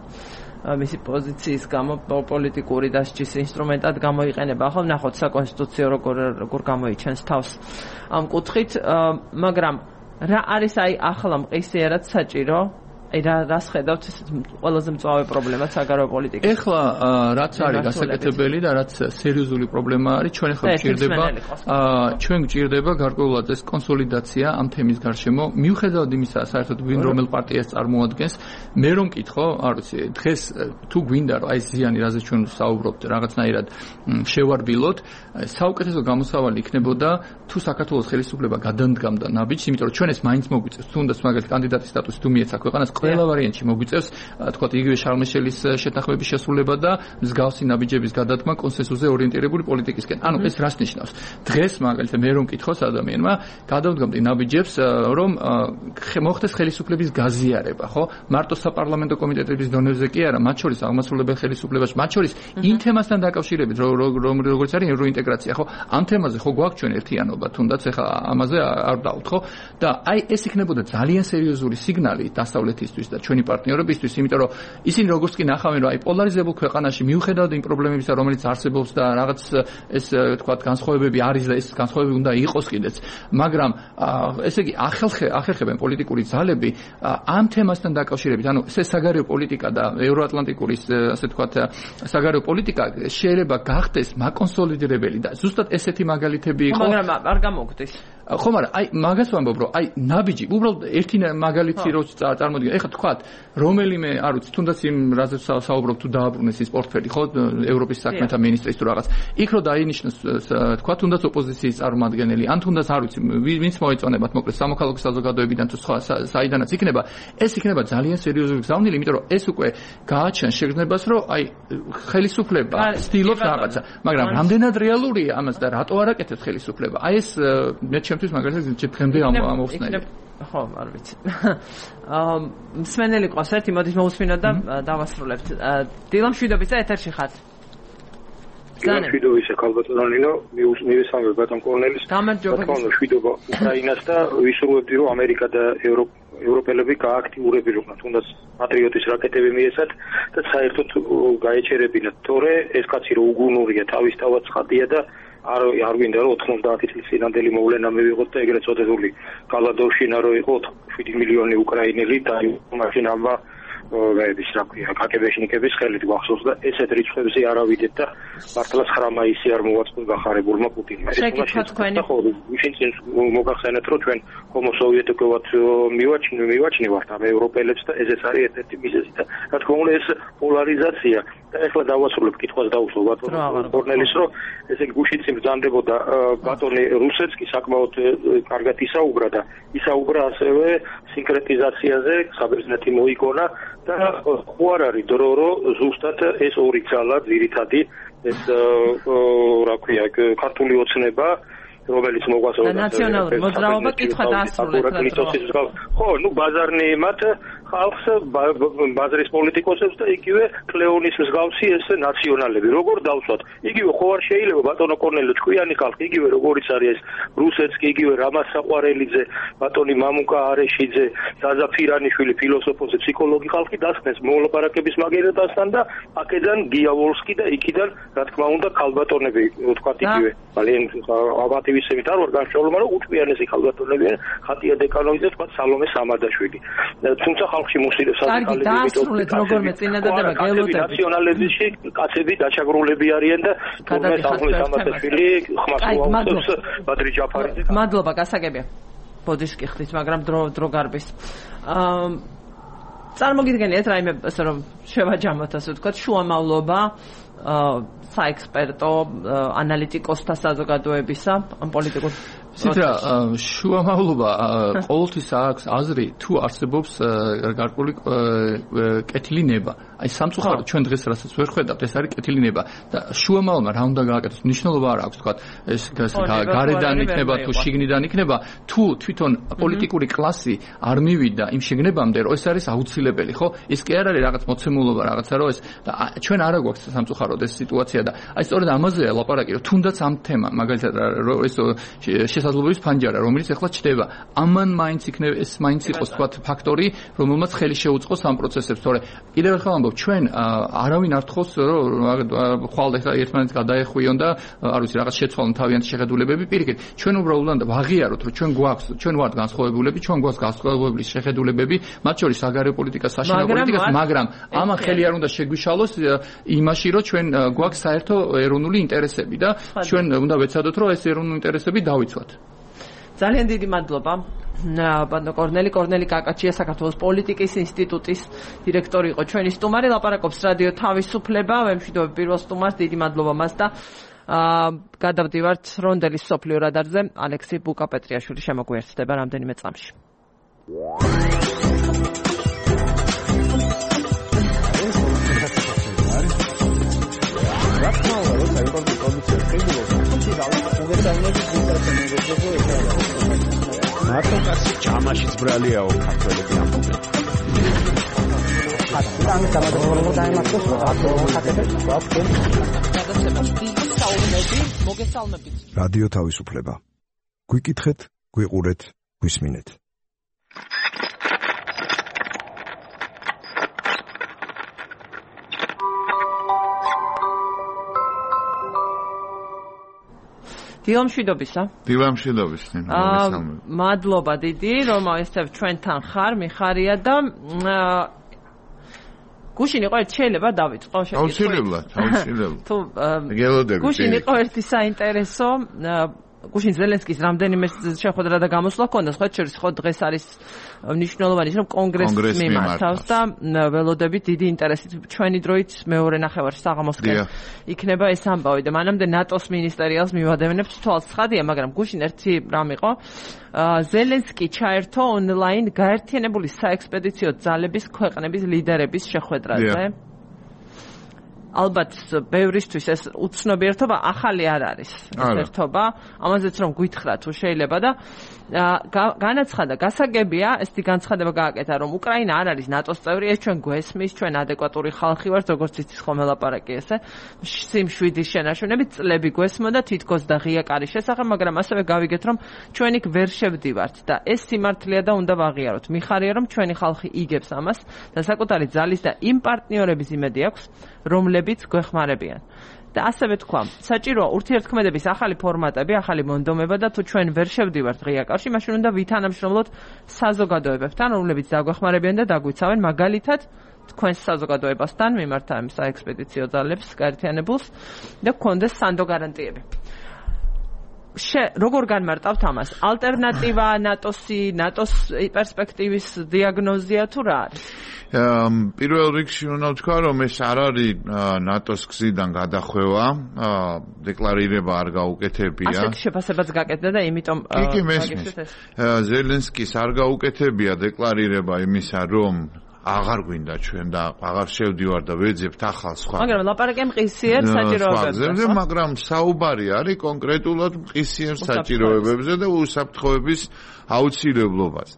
მისი პოზიციის გამო პოლიტიკური დასჯის ინსტრუმენტად გამოიყენება ხო ნახოთ საკონსტიტუციო როგორ გამოიჩენს თავს ამ კუთხით მაგრამ რა არის აი ახლა მყისიერად საჭირო აი რას ხედავთ ეს ყველაზე მწვავე პრობლემა საგარეო პოლიტიკაში. ეხლა რაც არის გასაკეთებელი და რაც სერიოზული პრობლემა არის, ჩვენ ახლა გვჭირდება გარკვეულად ეს კონსოლიდაცია ამ თემის გარშემო. მიუხედავად იმისა, საერთოდ ვინ რომელ პარტიას წარმოადგენს, მე რომ მკითხო, არ ვიცი, დღეს თუ გვინდა რომ აი ზიანი რაზე ჩვენ საუბრობთ, რაღაცნაირად შევარბილოთ, საუკეთესო გამოსავალი იქნებოდა თუ საქართველოს ხელისუფლება გადადგამდა ნაბიჯს, იმიტომ რომ ჩვენ ეს მაინც მოგვიწევს, თუნდაც მაგალითად კანდიდატის სტატუსი თუ მიეცა ქვეყანას ყველა ვარიანტში მოგვიწევს, თქვათ, იგივე შარმეშელის შეთანხმების შესრულება და მსგავსი ნაბიჯების გადადგმა კონსენსუსზე ორიენტირებული პოლიტიკისკენ. ანუ ეს რას ნიშნავს? დღეს მაგალითად მე რომ მკითხოს ადამიანმა, გადავდგამდი ნაბიჯებს, რომ მოხდეს ხელისუფლების გაზიარება, ხო? მარტო საპარლამენტო კომიტეტების დონეზე კი არა, მათ შორის აღმასრულებელ ხელისუფლებაში, მათ შორის იმ თემასთან დაკავშირებით, როგორც არის ევროინტეგრაცია, ხო? ამ თემაზე ხო გვაქვს ჩვენ ერთიანობა, თუნდაც ეხლა ამაზე არ დავთ, ხო? და აი ეს იქნებოდა ძალიან სერიოზული სიგნალი დასავლეთის და ჩვენი პარტნიორებისთვის, იმიტომ რომ ისინი როგორც კი ნახავენ, რომ აი პოლარიზებულ ქვეყანაში მიუხედავად იმ პრობლემებისა, რომელიც არსებობს და რაღაც ეს თქვა განსხვავებები არის და ეს განსხვავებები უნდა იყოს კიდეც, მაგრამ ესე იგი ახერხებენ პოლიტიკური ძალები ამ თემასთან დაკავშირებით, ანუ ეს საგარეო პოლიტიკა და ევროატლანტიკური ასე თქვა საგარეო პოლიტიკა შეიძლება გახდეს მაკონსოლიდირებელი და ზუსტად ესეთი მაგალითები იყო. მაგრამ არ გამოგვდის. ხო, მაგრამ აი მაგას ვამბობ, რომ აი ნაბიჯი, უბრალოდ ერთი მაგალითი რო წარმოვიდგინე, ეხლა თქვათ, რომელიმე, არ ვიცი, თუნდაც იმ რაზე საუბრობ თუ დააბრუნეს ის პორტფელი, ხო, ევროპის საქმეთა მინისტრის თუ რაღაც. იქ რო დაინიშნოს, თქვათ, თუნდაც ოპოზიციის წარმომადგენელი, ან თუნდაც არ ვიცი, ვინც მოეწონებათ, მოკლედ სამოქალაქო საზოგადოებიდან თუ სხვა საიდანაც იქნება, ეს იქნება ძალიან სერიოზული გზავნილი, იმიტომ რომ ეს უკვე გააჩენს შეგრძნებას, რომ აი ხელისუფლება ცდილობს რაღაცა, მაგრამ რამდენად რეალურია ამას და რატო არ აკეთებს ხელისუფლება? აი ეს მე ჩემთვის მაგალითად ჩემამდე ამოვხსნელი. ხო, არ ვიცი. მსმენელი ყავს ერთი, მოდით მოусმინოთ და დავასრულებთ. დილამ შვიდობიცა ეთერში ხართ. დილამ შვიდობიცა ქალბატონინო, მივესალმე ბატონ კორნელის. გამარჯობა. შვიდობა უკრაინას და ვისურვებდი რომ ამერიკა და ევროპელები გააქტიურებინათ, თუნდაც პატრიოტის რაკეტები მიეცათ და საერთოდ გაეჩერებინათ, თორე ეს კაცი რო უგუნურია, თავის თავად ცხადია და არ გვინდა რომ 90 წლის წინანდელი მოვლენა მივიღოთ და ეგრეთ წოდებული გალადოვშინა რო იყო 7 მილიონი უკრაინელი და მაშინ ამა ვეების რა ქვია კაკებეშნიკების ხელით გვახსოვს და ესეთ რიცხვებზე არავიდეთ და მართლაც ხრამაისი არ მოვაწყდა გახარებულმა პუტინმა. ეს მოგახსენეთ რომ ჩვენ ჰომო სოვიეტიკოვად მივაჩნევართ ამ ევროპელებს და ესეც არის ერთ-ერთი მიზეზი და რა თქმა უნდა ეს პოლარიზაცია და ეხლა დავასრულებ კითხვას დაუსვო ბატონ კორნელის რომ ესე გუშინც ბრძანდებოდა ბატონი რუსეთსკი საკმაოდ კარგად ისაუბრა და ისაუბრა ასევე სინკრეტიზაციაზე საბერძნეთი მოიგონა და ხო არ არის დრო რომ ზუსტად ეს ორი ძალა ძირითადი ეს რა ქვია ქართული ოცნება რომელიც მოგვასწავლა ნაციონალური მოძრაობა კითხვა დაასრულეთ ხო ნუ ბაზარნეიმად ხალხს ბაზრის პოლიტიკოსებს და იგივე კლეონის მსგავსი ეს ნაციონალები როგორ დავსვათ იგივე ხო არ შეიძლება ბატონო კორნელო ჭკვიანი ხალხი იგივე როგორიც არის ეს რუსეთსკი იგივე რამაზ საყვარელიძე ბატონი მამუკა არეშიძე ზაზა ფირანიშვილი ფილოსოფოსი ფსიქოლოგი ხალხი დასხნეს მოლაპარაკების მაგერადასთან და აქედან გიავოლსკი და იქიდან რა თქმა უნდა ქალბატონები თქვა იგივე ძალიან აბატივისებით არ ვარ განსხვავებული მაგრამ უჭკვიანესი ქალბატონები ხატია დეკანოვიძე თქვა სალომე სამადაშვილი თუმცა ხალხში მოსილებს კარგი დაასრულეთ როგორ წინადადება გელოდები ნაციონალიზმში კაცები დაჩაგრულები არიან და თურმე სალომე სამადაშვილი ხმას უაუწევს ბადრი ჯაფარიძე მადლობა გასაგებია ბოდიშკი ხდით მაგრამ დრო გარბის წარმოგიდგენიათ რაიმე ასე რომ შევაჯამოთ ასე ვთქვათ შუამავლობა საექსპერტო ანალიტიკოსთა საზოგადოებისა ამ პოლიტიკურ ცირა შუამავლობა ყოველთვის აქვს აზრი თუ არსებობს გარკვეული კეთილი ნება აი სამწუხაროდ ჩვენ დღეს რასაც ვერ ხედავთ ეს არის კეთილი ნება და შუამავლობა რა უნდა გააკეთოს მნიშვნელობა არ აქვს თქვა ეს გარედან იქნება თუ შიგნიდან იქნება თუ თვითონ პოლიტიკური კლასი არ მივიდა იმ შიგნებამდე რომ ეს არის აუცილებელი ხო ის კი არ არის რაღაც მოცემულობა რაღაცა რომ ეს და ჩვენ არ გვაქვს სამწუხაროდ ეს სიტუაცია და აი სწორედ ამაზეა ლაპარაკი რომ თუნდაც ამ თემა მაგალითად ეს შესაძლებლობის ფანჯარა რომელიც ახლა ჩდება ამან მაინც იქნება ეს მაინც იყოს თქვა ფაქტორი რომელმაც ხელი შეუწყოს ამ პროცესებს თორე კიდევ ერთხელ ამბობ ჩვენ არავინ არ თხოვს რომ ხვალ ეხლა ერთმანეთს გადაეხვიონ და არ ვიცი რაღაც შეცვალონ თავიანთი შეხედულებები პირიქით ჩვენ უბრალოდ ვაღიაროთ რომ ჩვენ გვაქვს ჩვენ ვართ განსხვავებულები ჩვენ გვაქვს განსხვავებული შეხედულებები მათ შორის საგარეო პოლიტიკა საშინაო პოლიტიკას მაგრამ ამან ხელი არ უნდა შეგვიშალოს იმაში რომ ჩვენ გვაქვს საერთო ეროვნული ინტერესები და ჩვენ უნდა ვეცადოთ რომ ეს ეროვნული ინტერესები დავიცვათ ძალიან დიდი მადლობა ბატონო კორნელი კაკაჩია საქართველოს პოლიტიკის ინსტიტუტის დირექტორი იყო ჩვენი სტუმარი ლაპარაკობს რადიო თავისუფლება ვემშვიდობებ პირველ სტუმარს დიდი მადლობა მას და გადავდივართ რონდელის სოფლიო რადარზე ალექსი ბუკა-პეტრიაშვილი შემოგვიერთდება რამდენიმე წამში მარტო კაცი ჯამაშიც ბრალიაო ქართველები ამბობენ. ამ დამადროულობა დაიმართოს რადიო თავისუფლება. გვიკითხეთ, გვიყურეთ, გვისმინეთ. დილამშვიდობისა. დილამშვიდობის. მადლობა დიდი, რომ ესწრებ ჩვენთან ხარ, მიხარია და გუშინ იყო ერთი შეიძლება დავიწყო აუცილებლად. თუ გუშინ იყო ერთი საინტერესო გუშინ ზელენსკის რამდენიმე შეხვედრა და გამოსვლა ჰქონდა, სხვა შორის ხო დღეს არის მნიშვნელოვანი ის, რომ კონგრესს მიმართავს და ველოდებით დიდი ინტერესით ჩვენი დროით მეორე ნახევარ საღამოსკენ იქნება ეს ამბავი და მანამდე ნატოს მინისტერიალს მივადევნებთ თვალს ცხადია, მაგრამ გუშინ ერთი რამ იყო ზელენსკი ჩაერთო ონლაინ გაერთიანებული საექსპედიციო ძალების ქვეყნების ლიდერების შეხვედრაზე. ალბათ ბევრისთვის ეს უცნობი ერთობა ახალი არ არის ეს ერთობა, ამაზეც რომ გითხრა თუ შეიძლება და განაცხადა, გასაგებია, ესეთი განცხადება გააკეთა, რომ უკრაინა არ არის ნატოს წევრი, ეს ჩვენ გვესმის, ჩვენ ადეკვატური ხალხი ვართ, როგორც იცის ხოლმე ლაპარაკი ესე. სიმშვიდის შენაშუნებით წლები გვესმოდა თითქოს და ღია კარის შესახებ, მაგრამ ასევე გავიგეთ, რომ ჩვენ იქ ვერ შევდივართ და ეს სიმართლეა და უნდა ვაღიაროთ. მიხარია, რომ ჩვენი ხალხი იგებს ამას და საკუთარი ძალის და იმ პარტნიორების იმედი აქვს, რომლებიც გვეხმარებიან. და ასევე თქვა, საჭიროა ურთიერთქმედების ახალი ფორმატები, ახალი მონდომება და თუ ჩვენ ვერ შევდივართ ღია კარში, მაშინ უნდა ვითანამშრომლოთ საზოგადოებებთან, რომლებიც დაგვეხმარებიან და დაგვიცავენ, მაგალითად თქვენს საზოგადოებასთან მიმართა ამ საექსპედიციო ძალებს გაერთიანებულს და გქონდეს სანდო გარანტიები. როგორ განმარტავთ ამას? ალტერნატივა ნატოს პერსპექტივის დიაგნოზია თუ რა არის? პირველ რიგში უნდა ვთქვა, რომ ეს არ არის ნატოს გზიდან გადახვევა, დეკლარირება არ გაუკეთებია. ასეთ შეფასებაც გაკეთდა და იმიტომ კი მესმის. ზელენსკის არ გაუკეთებია დეკლარირება იმისა, რომ აღარ გვინდა ჩვენ და აღარ შევდივარ და ვეძებთ ახალ სხვა. მაგრამ ლაპარაკი მყისიერ საჭიროებებზე. მაგრამ საუბარი არის კონკრეტულად მყისიერ საჭიროებებზე და უსაფრთხოების აუცილებლობაზე.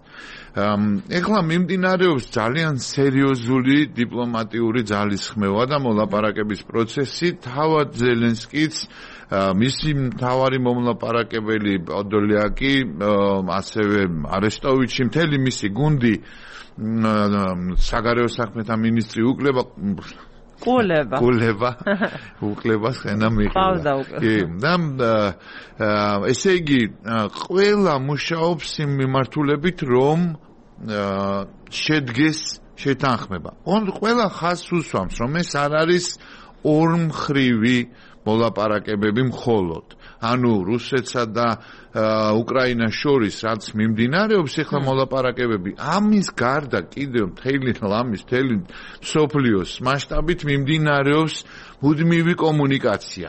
ეხლა მიმდინარეობს ძალიან სერიოზული დიპლომატიური ძალისხმევა და მოლაპარაკების პროცესი. თავად ზელენსკიც, მისი მთავარი მომლაპარაკებელი პოდოლიაკი, ასევე არესტოვიჩი, მთელი მისი გუნდი, საგარეო საქმეთა მინისტრი უკლება ხენა მიყიდა. კი, და ესე იგი, ყველა მუშაობს იმ მიმართულებით, რომ შედგეს შეთანხმება. ყველა ხაზს უსვამს, რომ ეს არ არის ორმხრივი მოლაპარაკებები მხოლოდ. ანუ რუსეთსა და უკრაინას შორის რაც მიმდინარეობს ეხლა მოლაპარაკებები, ამის გარდა კიდევ მთელი მსოფლიოს მასშტაბით მიმდინარეობს მუდმივი კომუნიკაცია.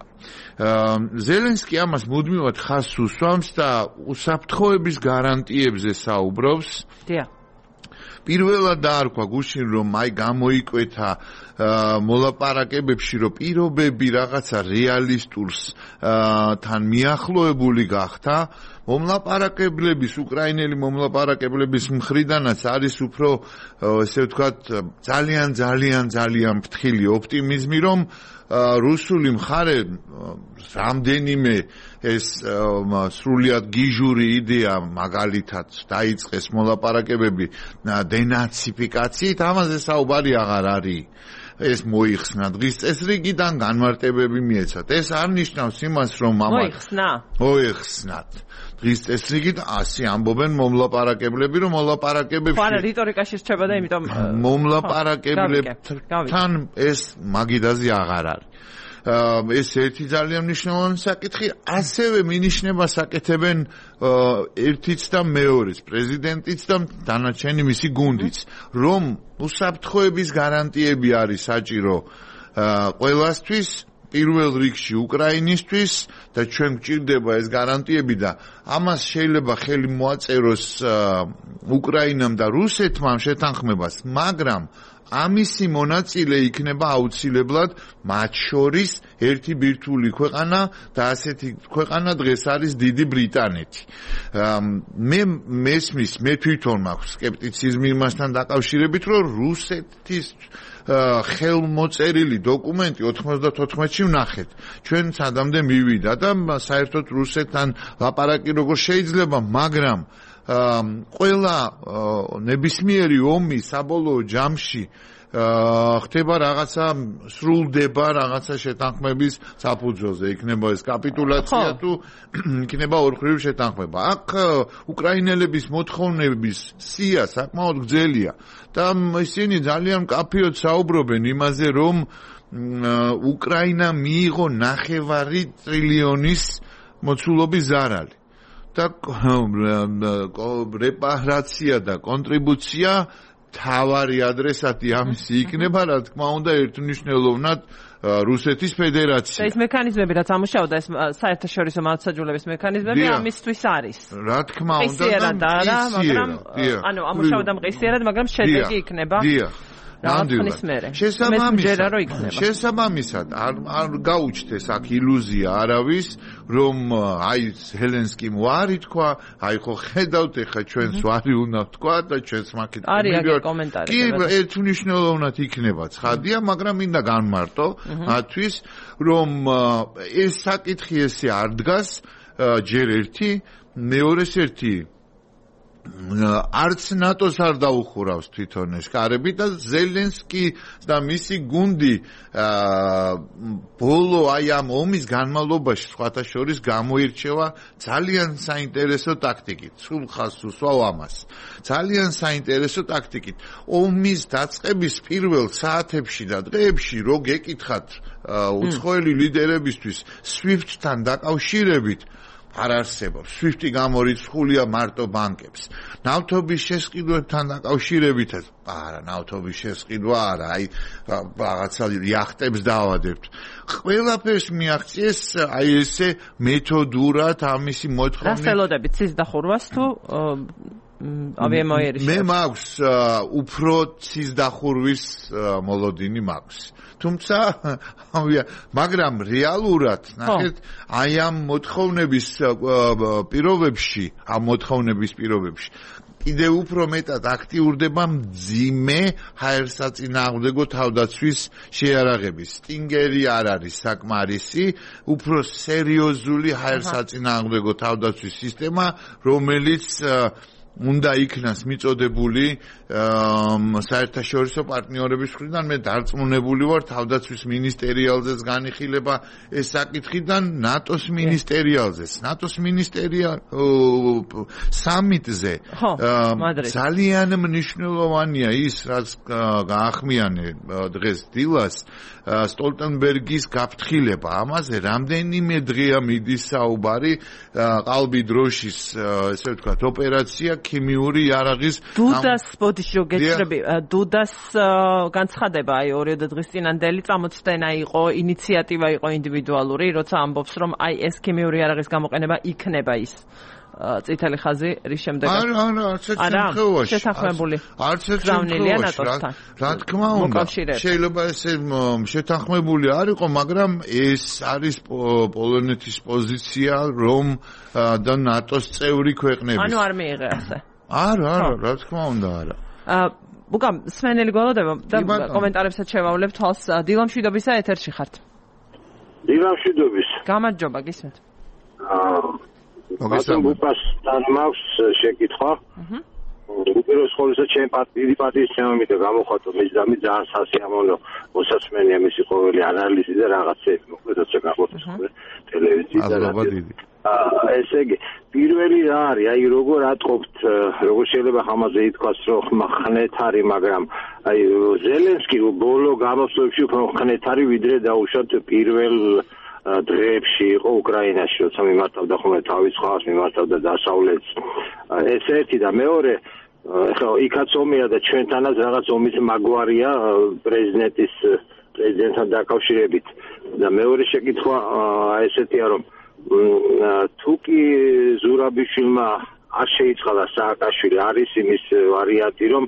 ზელენსკი ამას მუდმივად ხაზს უსვამს და უსაფრთხოების გარანტიებზე საუბრობს. პირველად დაარქვა გუშინ, რომ აი გამოიკვეთა მოლაპარაკებებში, რომ პირობები რაღაცა რეალისტურს თან მიახლოებული გახდა. მომლაპარაკებლების, უკრაინელი მომლაპარაკებლების მხრიდანაც არის უფრო, ესე ვთქვათ, ძალიან ფრთხილი ოპტიმიზმი, რომ რუსული მხარე რამდენიმე ეს სრულიად გიჟური იდეა მაგალითად დაიწყეს მოლაპარაკებები დენაციფიკაციით, ამაზე საუბარი აღარ არის. ეს მოიხსნა დღის წესრიგიდან განმარტებები მიეცათ. ეს არ ნიშნავს იმას, რომ მოიხსნათ. დღის წესრიგით ასე ამბობენ მომლაპარაკებლები, რომ მოლაპარაკებებში ხო, რიტორიკაში რჩება და იმიტომ მომლაპარაკებლებთან ეს მაგიდაზე აღარ არის. ეს ერთი ძალიან მნიშვნელოვანი საკითხი, ასევე მინიშნებას აკეთებენ ერთიც და მეორეც, პრეზიდენტიც და დანარჩენი მისი გუნდიც, რომ უსაფრთხოების გარანტიები არის საჭირო ყველასთვის, პირველ რიგში უკრაინისთვის და ჩვენ გვჭირდება ეს გარანტიები და ამას შეიძლება ხელი მოაწეროს უკრაინამ და რუსეთმა შეთანხმებას, მაგრამ ამისი მონაწილე იქნება აუცილებლად მათ შორის ერთი ბირთვული ქვეყანა და ასეთი ქვეყანა დღეს არის დიდი ბრიტანეთი. მე თვითონ მაქვს სკეპტიციზმი იმასთან დაკავშირებით, რომ რუსეთის ხელმოწერილი დოკუმენტი 94-ში ვნახეთ. ჩვენ სადამდე მივიდა და საერთოდ რუსეთთან ლაპარაკი როგორ შეიძლება, მაგრამ ყველა ნებისმიერი ომი საბოლოო ჯამში ხდება რაღაცა, სრულდება რაღაცა შეთანხმების საფუძველზე, იქნება ეს კაპიტულაცია თუ იქნება ორხრივი შეთანხმება. აქ უკრაინელების მოთხოვნების სია საკმაოდ გრძელია და ისინი ძალიან მკაფიოდ საუბრობენ იმაზე, რომ უკრაინა მიიღო 9 ტრილიონის მოცულობის ზარალი და რეპარაცია და კონტრიბუცია თავარი ადრესატი ამისი იქნება, რა თქმა უნდა, ერთმნიშვნელოვნად რუსეთის ფედერაცია. და ეს მექანიზმები, რაც ამუშავდა, ეს საერთაშორისო მართლმსაჯულების მექანიზმები ამისთვის არის. რა თქმა უნდა, მაგრამ ამუშავდა მყისიერად, მაგრამ შედეგი იქნება. შესაბამისად, არ გაუჩნდეს აქ ილუზია არავის, რომ აი ზელენსკიმ ვარი თქვა, აი ხო ხედავთ, ეხა ჩვენს ვარი უნდა თქვა და ჩვენს მაქეთ კომენტარი. კი, ერთმნიშვნელოვნად იქნება ცხადია, მაგრამ მინდა განმარტო მათთვის, რომ ეს საკითხი ესე არ დგას ჯერ ერთი, მეორეს ერთი არც ნატოს არ დაუხურავს თვითონ ეს კარები და ზელენსკი და მისი გუნდი ბოლო აი ამ ომის განმავლობაში სხვათა შორის გამოირჩევა ძალიან საინტერესო ტაქტიკით. სულ ხაზს უსვავ ამას. ძალიან საინტერესო ტაქტიკით. ომის დაწყების პირველ საათებში და დღეებში რო გეკითხათ უცხოელი ლიდერებისთვის SWIFT-თან დაკავშირებით არ არსებობს. SWIFT-ი გამორიცხულია მარტო ბანკებს. ნავთობის შესყიდვებთან დაკავშირებითაც, არა, ნავთობის შესყიდვა არა, აი რაღაცა იახტებს დაავადებთ. ყველაფერს მიაღწიეს აი ესე მეთოდურად ამისი მოთხოვნა. რას ელოდებით ცის დახურვას თუ ავიამოიერიშებს? მე მაქვს უფრო ცის დახურვის მოლოდინი მაქვს. თუმცა მაგრამ რეალურად ნახეთ აი ამ მოთხოვნების პირობებში კიდევ უფრო მეტად აქტიურდება მძიმე ჰაერსაწინააღმდეგო თავდაცვის შეიარაღების. სტინგერი არ არის საკმარისი, უფრო სერიოზული ჰაერსაწინააღმდეგო თავდაცვის სისტემა, რომელიც უნდა იქნას მიწოდებული საერთაშორისო პარტნიორების მხრიდან. მე დარწმუნებული ვარ თავდაცვის მინისტერიალზეც განიხილება ეს საკითხი და ნატოს მინისტერიალზეც. ნატოს მინისტერია სამიტზე ძალიან მნიშვნელოვანია ის, რაც გაახმიანე დღეს დილას სტოლტენბერგის გაფრთხილება. ამაზე რამდენიმე დღეა მიდის საუბარი, ყალბი დროშის ესე ვთქვათ ოპერაცია ქიმიური იარაღის დუდას განცხადება აი 2 დღის წინანდელი წამოწდენა იყო, ინიციატივა იყო ინდივიდუალური, როცა ამბობს რომ აი ეს ქიმიური იარაღის გამოყენება იქნება ის წითელი ხაზი რის შემდეგ შეთანხმებული არც რა თქმა უნდა შეიძლება ესე შეთანხმებული არ იყო, მაგრამ ეს არის პოლონეთის პოზიცია რომ და ნატოს წევრი ქვეყნების. ანუ არ მიიღე ასე. არა, რა თქმა უნდა არა. უკა სმენელი გველოდება და კომენტარებსაც შევავლებ თვალს. დილამშვიდობისა ეთერში ხართ. დილამშვიდობის. გამარჯობა, გისმენთ. მოგესალმებთან მაქვს შეკითხვა. უპირველეს ყოვლისა ჩემ პატივისცემით გამოხატო მიზამი ძალიან სასიამოვნო მოსაცმენია მისი ყოველი ანალიზი და რაღაცები მოკლედ როცა გამოხატოს ტელევიზიაზე და ესე იგი პირველი რა არის აი როგორ ატყობთ როგორ შეიძლება ამაზე ითქვას რომ ხნეთ არის, მაგრამ აი ზელენსკი ბოლო გამოსვლებში უფრო ხნეთ არის ვიდრე დაუშვათ პირველ დღეებში იყო უკრაინაში, როცა მიმართავდა ხოლმე თავის ხალხს, მიმართავდა დასავლეთს. ეს ერთი და მეორე, ხო, იქაც ომია და ჩვენთანაც რაღაც ომის მაგვარია პრეზიდენტთან დაკავშირებით. და მეორე შეკითხვა ესეთია, რომ თუ კი ზურაბიშვილმა არ შეიწყალა სააკაშვილი, არის იმის ვარიანტი, რომ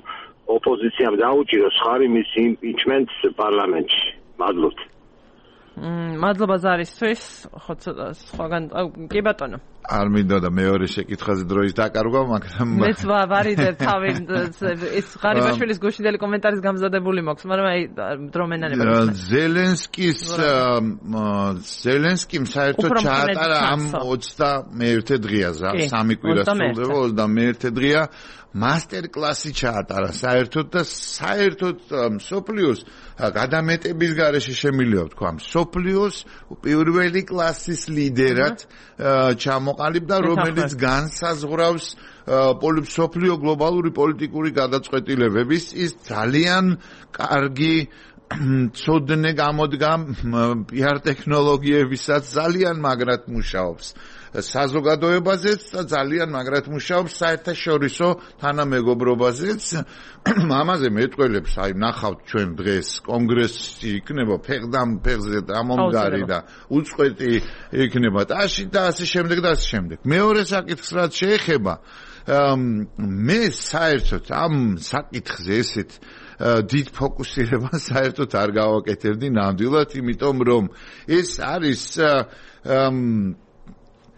ოპოზიციამ დაუჭიროს ხარი მის იმპიჩმენტს პარლამენტში. მადლობთ. მადლობა ზარისთვის, ხო სხვაგან კი ბატონო. არ მინდა და მეორე შეკითხვაზე დროის დაკარგვა, მაგრამ მეც ვარიდებ თავი ეს ღარიბაშვილის გუშინდელი კომენტარის გამზადებული მაქვს, მაგრამ აი დრო მენანება. ზელენსკიმ საერთოდ ჩაატარა ამ 21 დღეაზე, 3 კვირა სრულდება 21 დღეა მასტერკლასი ჩაატარა საერთოდ და საერთოდ სოფლიოს გადამეტების გარეშე შემიძლია ვთქვა სოფლიოს პირველი კლასის ლიდერად ჩამოყალიბდა, რომელიც განსაზღვრავს სოფლიო გლობალური პოლიტიკური გადაწყვეტილებების ის ძალიან კარგი ცოდნე გამოდგა PR ტექნოლოგიებისაც ძალიან მაგრად მუშაობს. საზოგადოებაზეც და ძალიან მაგრად მუშაობს საერთაშორისო თანამეგობრობაზეც. ამაზე მეტყველებს, აი ნახავთ ჩვენ დღეს კონგრესი იქნება ფეხდამ ფეხზე დამომგარი და უწყვეტი იქნება ტაში და ასე შემდეგ და ასე შემდეგ. მეორე საკითხს რაც შეეხება მე საერთოდ ამ საკითხზე ესეთ დიდ ფოკუსირებას საერთოდ არ გავაკეთებდი ნამდვილად, იმიტომ რომ ეს არის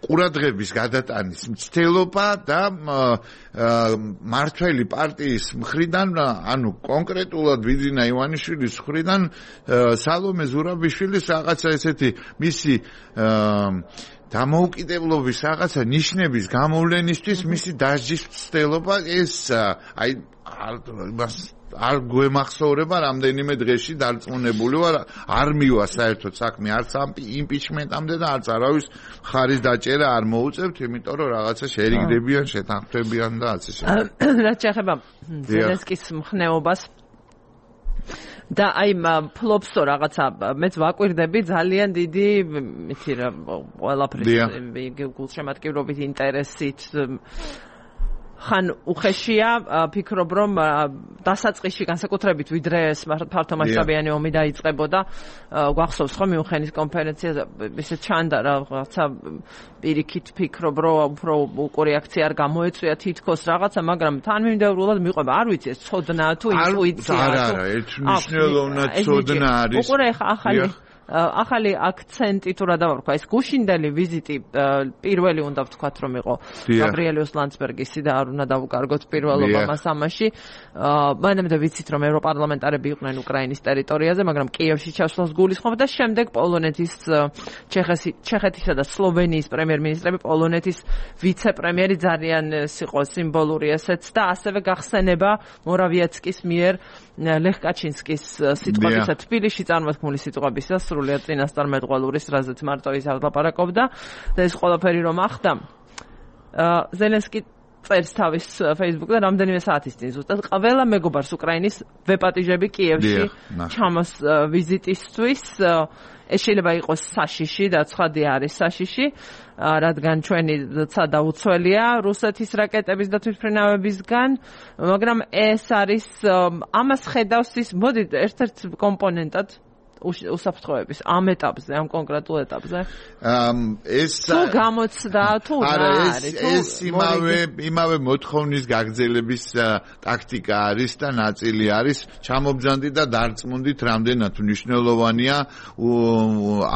ყურადღების გადატანის მცდელობა და მართველი პარტიის მხრიდან, ანუ კონკრეტულად ბიძინა ივანიშვილის მხრიდან სალომე ზურაბიშვილის რაღაცა ესეთი მისი დამოუკიდებლობის რაღაცა ნიშნების გამოვლენისთვის მისი დასჯის მცდელობა ეს აი არ გვემახსოვრება რამდენიმე დღეში დარწმუნებული ვარ არ მივა საერთოდ საქმე არც ამ იმპიჩმენტამდე და არც არავის ხარის დაჭერა არ მოუწევთ იმიტომ რომ რაღაცა შერიგდებიან შეთანხმდებიან და ასე შემდეგ რაც შეეხება ზელენსკის მხნეობას და აი ფლობსო რაღაცა მეც ვაკვირდები ძალიან დიდი იცი რა ყველაფრის გულშემატკივრობით ინტერესით ხან უხეშია ფიქრობ რომ დასაწყისში განსაკუთრებით ვიდრე ფართო მასშტაბიანი ომი დაიწყებოდა გვახსოვს ხო მიუნხენის კონფერენციაზე ესე ჩანდა რაღაცა პირიქით ფიქრობ რომ უფრო უკურეაქცია არ გამოეწვია თითქოს რაღაცა მაგრამ თანმიმდევრულად მიყვება არ ვიცი ეს ცოდნაა თუ ინტუიცია არა ერთ მნიშვნელოვნად ცოდნა არის უყურე ახალი აქცენტი თუ რა დავარქვა ეს გუშინდელი ვიზიტი პირველი უნდა ვთქვათ რომ იყო გაბრიელიუს ლანდსბერგისი და არ უნდა დავუკარგოთ პირველობა მას ამაში მანამდე ვიცით რომ ევროპარლამენტარები იყვნენ უკრაინის ტერიტორიაზე მაგრამ კიევში ჩასვლას გულისხმობ და შემდეგ პოლონეთის ჩეხეთისა და სლოვენიის პრემიერ-მინისტრები პოლონეთის ვიცე-პრემიერი ძალიან იყო სიმბოლური ესეც და ასევე გახსენება მორავიეცკის მიერ ლეხ კაჩინსკის სიტყვებისა თბილისში წარმოთქმული სიტყვებისა სრულიად წინასწარმეტყველურის რაზეც მარტო ის ალაპარაკობდა და ეს ყველაფერი რომ ახდა ზელენსკი წერს თავის Facebook-ზე რამდენიმე საათის წინ ზუსტად ყველა მეგობარს უკრაინის ვეპატიჟები კიევში ჩამოს ვიზიტისთვის ეს შეიძლება იყოს საშიში და ცხადი არის საშიში რადგან ჩვენი ცადა უცველია რუსეთის რაკეტების და თვითმფრინავებისგან მაგრამ ეს არის ამას ხედავს ის მოდი ერთ-ერთ კომპონენტად უსაფრთხოების ამ ეტაპზე, ამ კონკრეტულ ეტაპზე? ეს თუ გამოცდა, თუ რა არის? ეს იმავე მოთხოვნის გაგრძელების ტაქტიკა არის და ნაწილი არის. ჩამობძანდი და დარწმუნდით, რამდენად მნიშვნელოვანია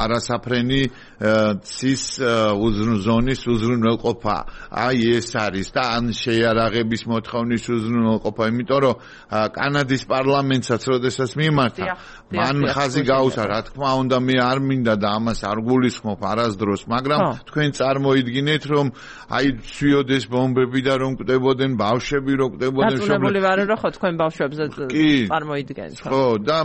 არასაფრენი ცის ზონის უზრუნველყოფა. აი ეს არის და ან შეიარაღების მოთხოვნის უზრუნველყოფა, იმიტომ რომ კანადის პარლამენტსაც როდესაც მიმართა, მან ხაზი გაუსა, რა თქმა უნდა, მე არ მინდა და ამას არ გულისხმობ არასდროს, მაგრამ თქვენ წარმოიდგინეთ, რომ აი ცვიოდეს ბომბები და რომ კვდებოდნენ ბავშვები, რომ კვდებოდნენ დაწუნებული ვარ, რომ ხო თქვენ ბავშვებზე წარმოიდგენთ. ხო, და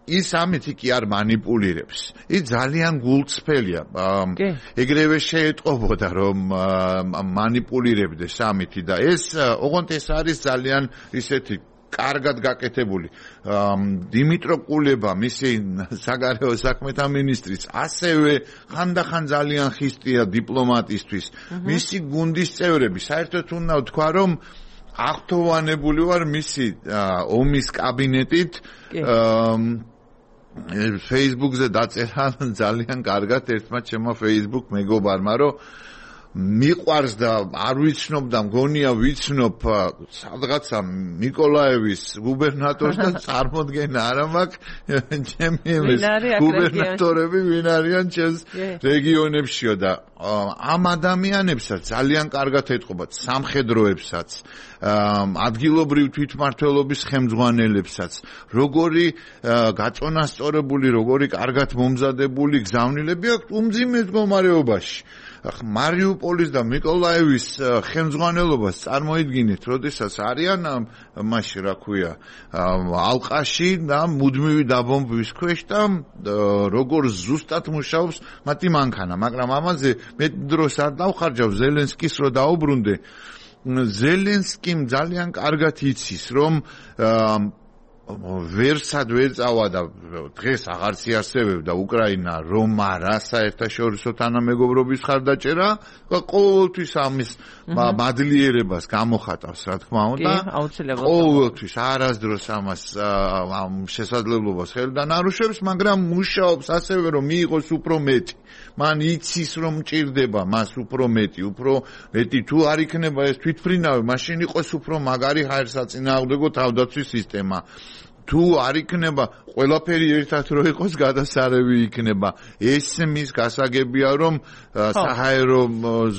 ის ამით კი არ манипуლირებს. ის ძალიან გულწრფელია. ეგრევე შეეტყობოდა რომ манипуლირებდეს ამითი და ეს ოღონდ ეს არის ძალიან ისეთი კარგად გაკეთებული. დიმიტრო კულება, მისი საგარეო საქმეთა მინისტრიც, ასევე ხანდახან ძალიან ხისტია დიპლომატისთვის. მისი გუნდის წევრები, საერთოდ უნდა ვთქვა, რომ აღთოვანებული ვარ მისი ომის კაბინეტით. Facebook-ზე დაწერა ძალიან კარგად ერთმა ჩემმა Facebook მეგობარმა, რომ მიყვარს და არ ვიცნობ და მგონია ვიცნობ სადღაცა ნიკოლაევის გუბერნატორს და წარმოდგენა არა მაქვს ჩემი გუბერნატორები ვინ არიან ჩემს რეგიონებშიო და ამ ადამიანებსაც ძალიან კარგად ეთყობათ სამხედროებსაც ადგილობრივ თვითმმართველობის ხელმძღვანელებსაც როგორი გაწონასწორებული როგორი კარგად მომზადებული გზავნილები აქვს უმძიმე მდგომარეობაში მარიუპოლის და მიკოლაევის ხელმძღვანელობას წარმოიდგინეთ, როდესაც არიან მასში რა ქვია, ალყაში და მუდმივი დაბომბვის ქვეშ და როგორ ზუსტად მუშაობს მათი მანქანა, მაგრამ ამაზე მეტ დროს არ დავხარჯავ ზელენსკის რო დაუბრუნდე. ზელენსკიმ ძალიან კარგად იცის, რომ ვერსად ვერ წავა და დღეს აღარც იარსებებდა უკრაინა რომ არა საერთაშორისო თანამეგობრობის ხარდაჭერა ყოველთვის ამის მადლიერებას გამოხატავს რა თქმა უნდა ყოველთვის არასდროს ამას შესაძლებლობას ხელიდან არუშევს მაგრამ მუშაობს ასევე რომ მიიღოს უფრო მეტი მან იცის რომ მჭირდება მას უფრო მეტი თუ არ იქნება ეს თვითმფრინავი მაშინ იყოს უფრო მაგარი ჰაერსაწინააღმდეგო თავდაცვის სისტემა თუ არ იქნება ყველაფერი ერთად რო იყოს გადასარევი იქნება ეს მის გასაგებია რომ საჰაერო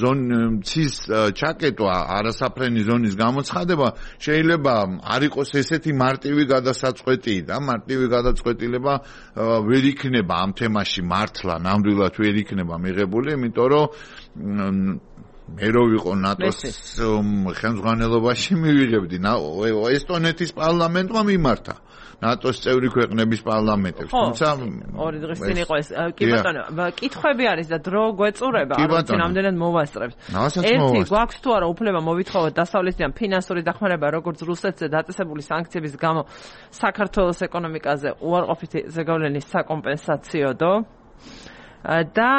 ზონის ჩაკეტვა არასაფრენი ზონის გამოცხადება შეიძლება არ იყოს ესეთი მარტივი გადასაწყვეტი და მარტივი გადაწყვეტილება ვერ იქნება ამ თემაში მართლა ნამდვილად ვერ იქნება მიღებული იმიტომ რომ მე რო ვიყო ნატოს ხელმძღვანელობაში მივიღებდი ესტონეთის პარლამენტმა მიმართა ნატოს წევრი ქვეყნების პარლამენტებს თუმცა ორი დღის წინ იყო ეს კი ბატონო კითხვები არის და დრო გვეწურება არ ვიცი რამდენად მოვასწრებთ ერთი გვაქვს თუ არა უფლება მოვითხოვოთ დასავლეთიდან ფინანსური დახმარება როგორც რუსეთზე დაწესებული სანქციების გამო საქართველოს ეკონომიკაზე უარყოფითი ზეგავლენის საკომპენსაციოდო და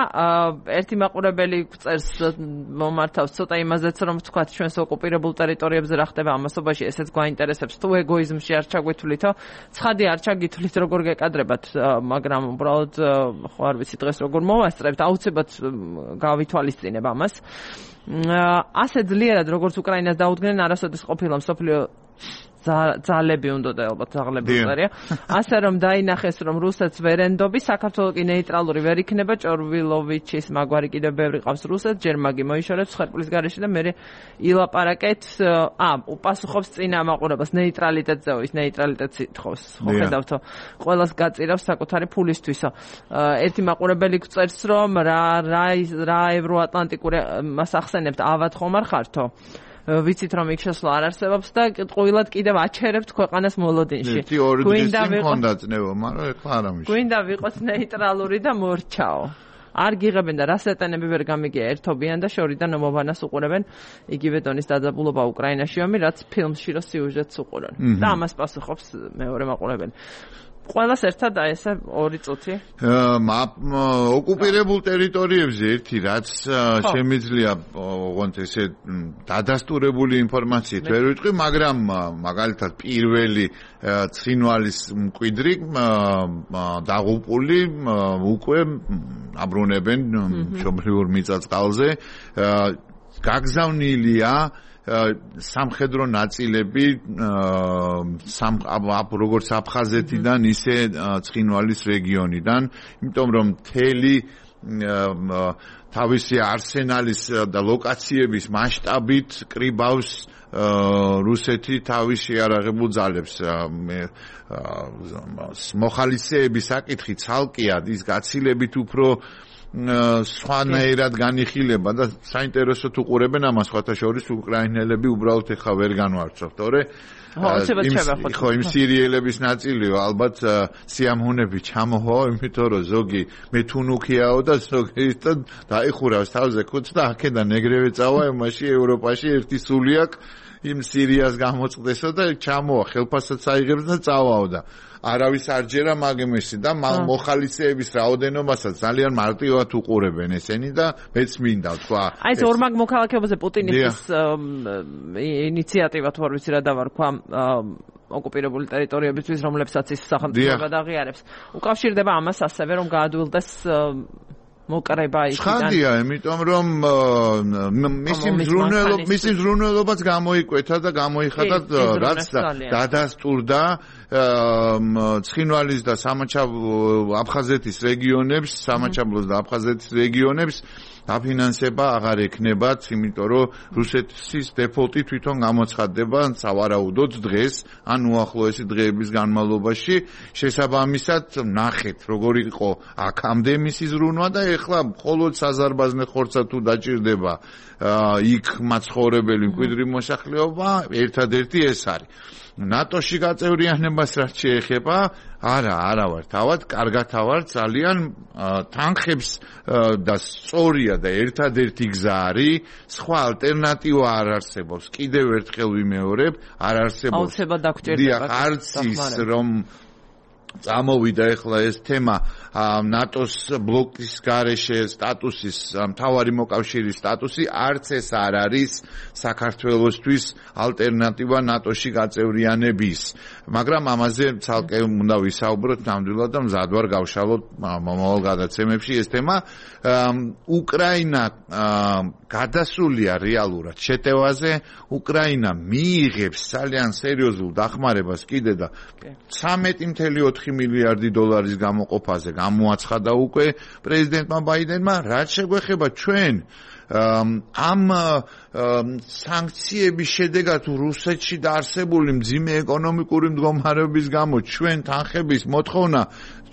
ერთი მაყურებელი წერს მომართავს ცოტა იმაზეც რომ თქვათ ჩვენს ოკუპირებულ ტერიტორიებზე რა ხდება ამასობაში ესეც გვაინტერესებს თუ ეგოიზმში არ ჩაგვეთვლითო ცხადი არ ჩაგითვლით როგორ გეკადრებათ მაგრამ უბრალოდ ხო არ ვიცი დღეს როგორ მოვასწრებთ აუცილებლად გავითვალისწინებ ამას ასე ძლიერად როგორც უკრაინას დაუდგნენ არასოდეს ყოფილა მსოფლიო ძალები უნდა და ალბათ ზაღლები უწერია ასე რომ დაინახეს რომ რუსეთს ვერ ენდობი საქართველოს კი ნეიტრალური ვერ იქნება ჭორვილოვიჩის მაგვარი კიდევ ბევრი ყავს რუსეთს ჯერ მაგი მოიშორებს ხერხლის გარეშე და მე ილაპარაკეთ უპასუხობს წინა მაყურებელს ნეიტრალიტეტზე ის ნეიტრალიტეტს ითხოვს ხო ხედავთო ყველას გაწირავს საკუთარი ფულისთვისო ერთი მაყურებელი წერს რომ რა ევროატლანტიკური მას ახსენებთ ავად ხომ არ ხართო ვიცით რომ იქ შესვლა არ არსებობს და ყვილად კიდევ აჩერებთ ქვეყანას მოლოდინში. გვინდა ვიყოს ნეიტრალური და მორჩაო. არ გიღებენ და რას ეტანები ვერ გამიგია ერთობიან და შორიდან მომბანას უყურებენ იგივე დონის დაძაბულობა უკრაინაში ომი რაც ფილმში რო სიუჟეტს უყურონ. და ამას პასუხობს მეორე მაყურებელი. ყველას ერთად ესე 2 წუთი. ოკუპირებულ ტერიტორიებზე ერთი რაც შემიძლია ოღონდ ესე დადასტურებული ინფორმაციით ვერ ვიტყვი, მაგრამ მაგალითად პირველი ცხინვალის მკვიდრი დაღუპული უკვე აბრუნებენ მშობლიურ მიწა-წყალზე გაგზავნილია სამხედრო ნაწილები როგორც აფხაზეთიდან ისე ცხინვალის რეგიონიდან, იმიტომ რომ მთელი თავისი არსენალის და ლოკაციების მასშტაბით კრიბავს რუსეთი თავის შეარაღებულ ძალებს. მოხალისეების საკითხი ცალკეა, ის გაცილებით უფრო სხვანაირად განიხილება და საინტერესოდ უყურებენ ამას სხვათა შორის უკრაინელები უბრალოდ ეხა ვერ განვარცხობთ, თორე ხო იმ სერიალების ნაწილიო ალბათ სიამოვნები ჩამოჰვა, იმიტომ რომ ზოგი მეთუნუქიაო და ზოგი დაიხურავს თავზე ქუდს და აქედან ეგრევე წავა იმაში ევროპაში ერთი სული აქვს იმ სირიას გამოწყდესო და ჩამოვა ხელფასსაც აიღებს და წავაო და არავის არ ჯერა მაგემესი და მოხალისეების რაოდენობასაც ძალიან მარტივად უყურებენ ესენი და მეც მინდა თქვა აი ეს ორმაგ მოქალაქეობაზე პუტინის ინიციატივა თუ არ ვიცი რა დავარქვა ოკუპირებული ტერიტორიებისთვის რომლებსაც ის სახელმწიფო გადაღიარებს უკავშირდება ამას ასევე რომ გაადვილდეს მოკრება იქიდან. ხანდია, იმიტომ რომ მისი მზრუნველობაც გამოიკვეთა და გამოიხატა რაც დადასტურდა ცხინვალის და აფხაზეთის რეგიონებს, სამაჩაბლოს და აფხაზეთის რეგიონებს დაფინანსება აღარ ექნებათ, იმიტომ რომ რუსეთის დეფოლტი თვითონ გამოცხადდება სავარაუდოდ დღეს, ან უახლოესი დღეების განმავლობაში. შესაბამისად, ნახეთ, როგორი იყო აქამდე მისი ზრუნვა და ეხლა მხოლოდ საზარბაზნე ხორცად თუ დაჭირდება იქ მაცხოვრებელი მკვიდრი მოსახლეობა, ერთადერთი ეს არის. ნატოში გაწევრიანებას რაც შეეხება, არა ვარ თავად, კარგად ვარ, ძალიან თანხებს და სწორია და ერთადერთი გზა არის, სხვა ალტერნატივა არ არსებობს. კიდევ ერთხელ ვიმეორებ, არ არსებობს. აუცილებლად დაგვჭირდება. არც ის რომ წამოვიდა ახლა ეს თემა ნატოს ბლოკის გარეშე სტატუსის მთავარი მოკავშირის სტატუსი არც ეს არ არის საქართველოსთვის ალტერნატივა ნატოში გაწევრიანების მაგრამ ამაზე ცალკე უნდა ვისაუბროთ ნამდვილად და მზად ვარ გავშალოთ მომავალ გადაცემებში ეს თემა უკრაინა გადასულია რეალურად შეტევაზე უკრაინა მიიღებს ძალიან სერიოზულ დახმარებას კიდე და 13.4 მილიარდი დოლარის გამოყოფაზე გამოაცხადა უკვე პრეზიდენტმა ბაიდენმა რაც შეგვეხება ჩვენ ამ სანქციების შედეგად რუსეთში დაარსებული მძიმე ეკონომიკური მდგომარეობის გამო ჩვენ თანხების მოთხოვნა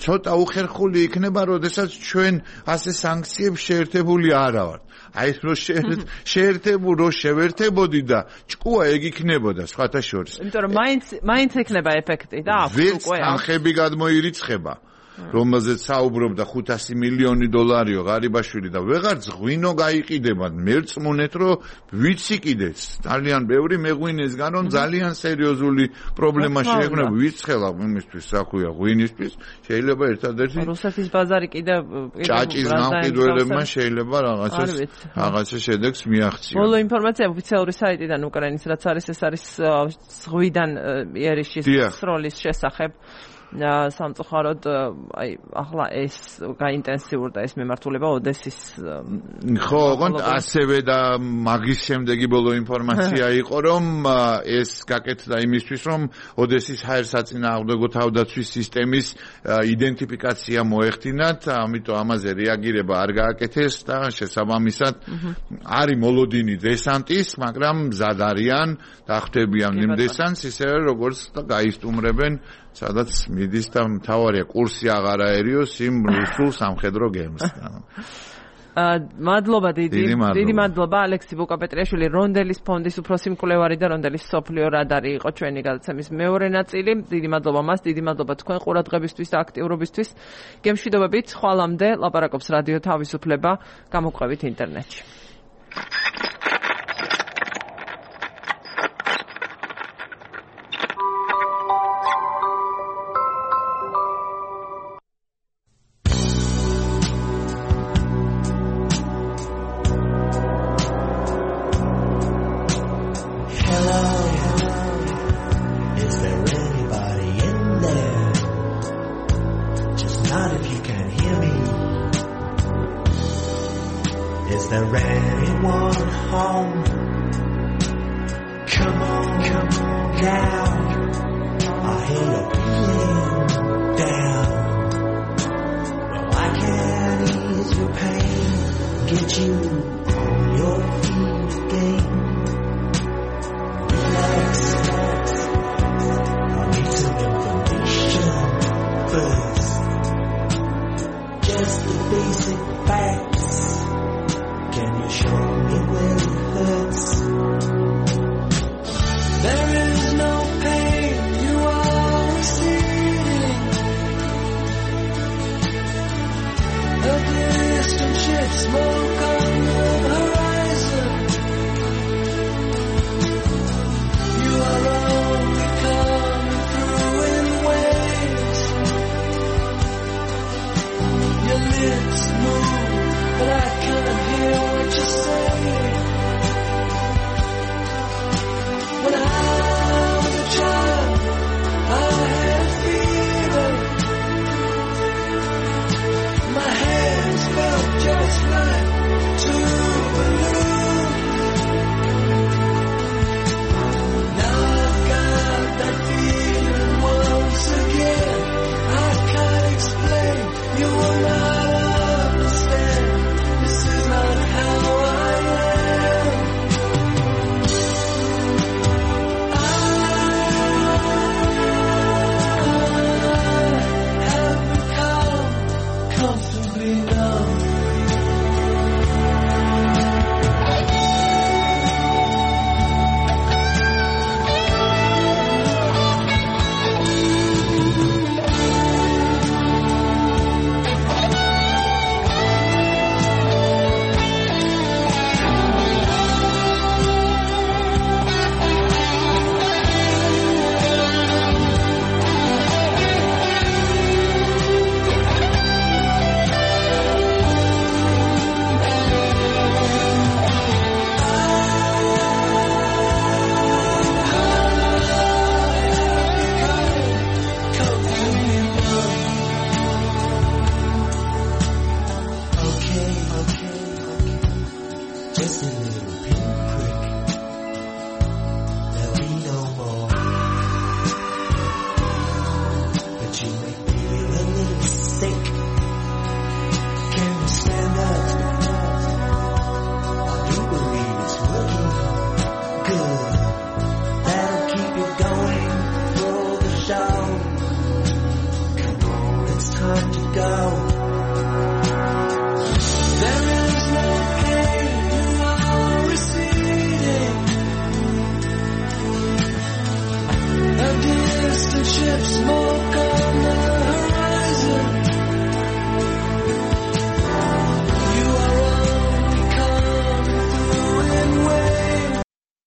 ცოტა უხერხული იქნება, როდესაც ჩვენ ასე სანქციებს შეერთებული არ ვართ. აი რო შევერთებოდი და ჭკუა ეგ იქნებოდა სხვათა შორის. იმიტომ რომ მაინც იქნება ეფექტი და აქვს უკვე თანხები გადმოირიცხება. რომელზეც საუბრობდა 500 მილიონი დოლარიო ღარიბაშვილი და ვეღარ ღვინო გაიყიდება მერწმუნეთ რომ ვიცი კიდეც ძალიან ბევრი მეღვინესგან რომ ძალიან სერიოზული პრობლემა შეექმნება ვიცხელა იმისთვის საქვია ღვინისთვის შეიძლება ერთადერთი რუსეთის ბაზარი კიდე ჭაჭის გამყიდველებმა შეიძლება რაღაცა შედეგს მიაღწიონ ბოლო ინფორმაცია ოფიციალური საიტიდან უკრაინის რაც არის ეს არის ზღვიდან იერიშის სროლის შესახებ სამწუხაროდ აი ახლა ეს გაინტენსიურდა ეს მიმართულება ოდესის ხო ოღონდ ასევე და მაგის შემდეგი ბოლო ინფორმაცია იყო რომ ეს გაკეთდა იმისთვის რომ ოდესის ჰაერსაწინააღმდეგო თავდაცვის სისტემის იდენტიფიკაცია მოეხდინათ ამიტომ ამაზე რეაგირება არ გააკეთეს და შესაბამისად არის მოლოდინი დესანტის მაგრამ მზად არიან დახვდებიან იმ დესანტს ისევე როგორც გაისტუმრებენ სადაც მიდის და მთავარია კურსი აღარ აერიოს იმ რუსულ სამხედრო გემსთან. მადლობა დიდი მადლობა ალექსი ბუკაპეტრიაშვილი რონდელის ფონდის უფროსი მკვლევარი და რონდელის სოფლიო რადარი იყო ჩვენი გადაცემის მეორე ნაწილი. დიდი მადლობა მას, დიდი მადლობა თქვენ ყურადღებისთვის და აქტიურობისთვის. გემშვიდობებით ხვალამდე ლაპარაკობს რადიო თავისუფლება გამოგვყევით ინტერნეტში. Get you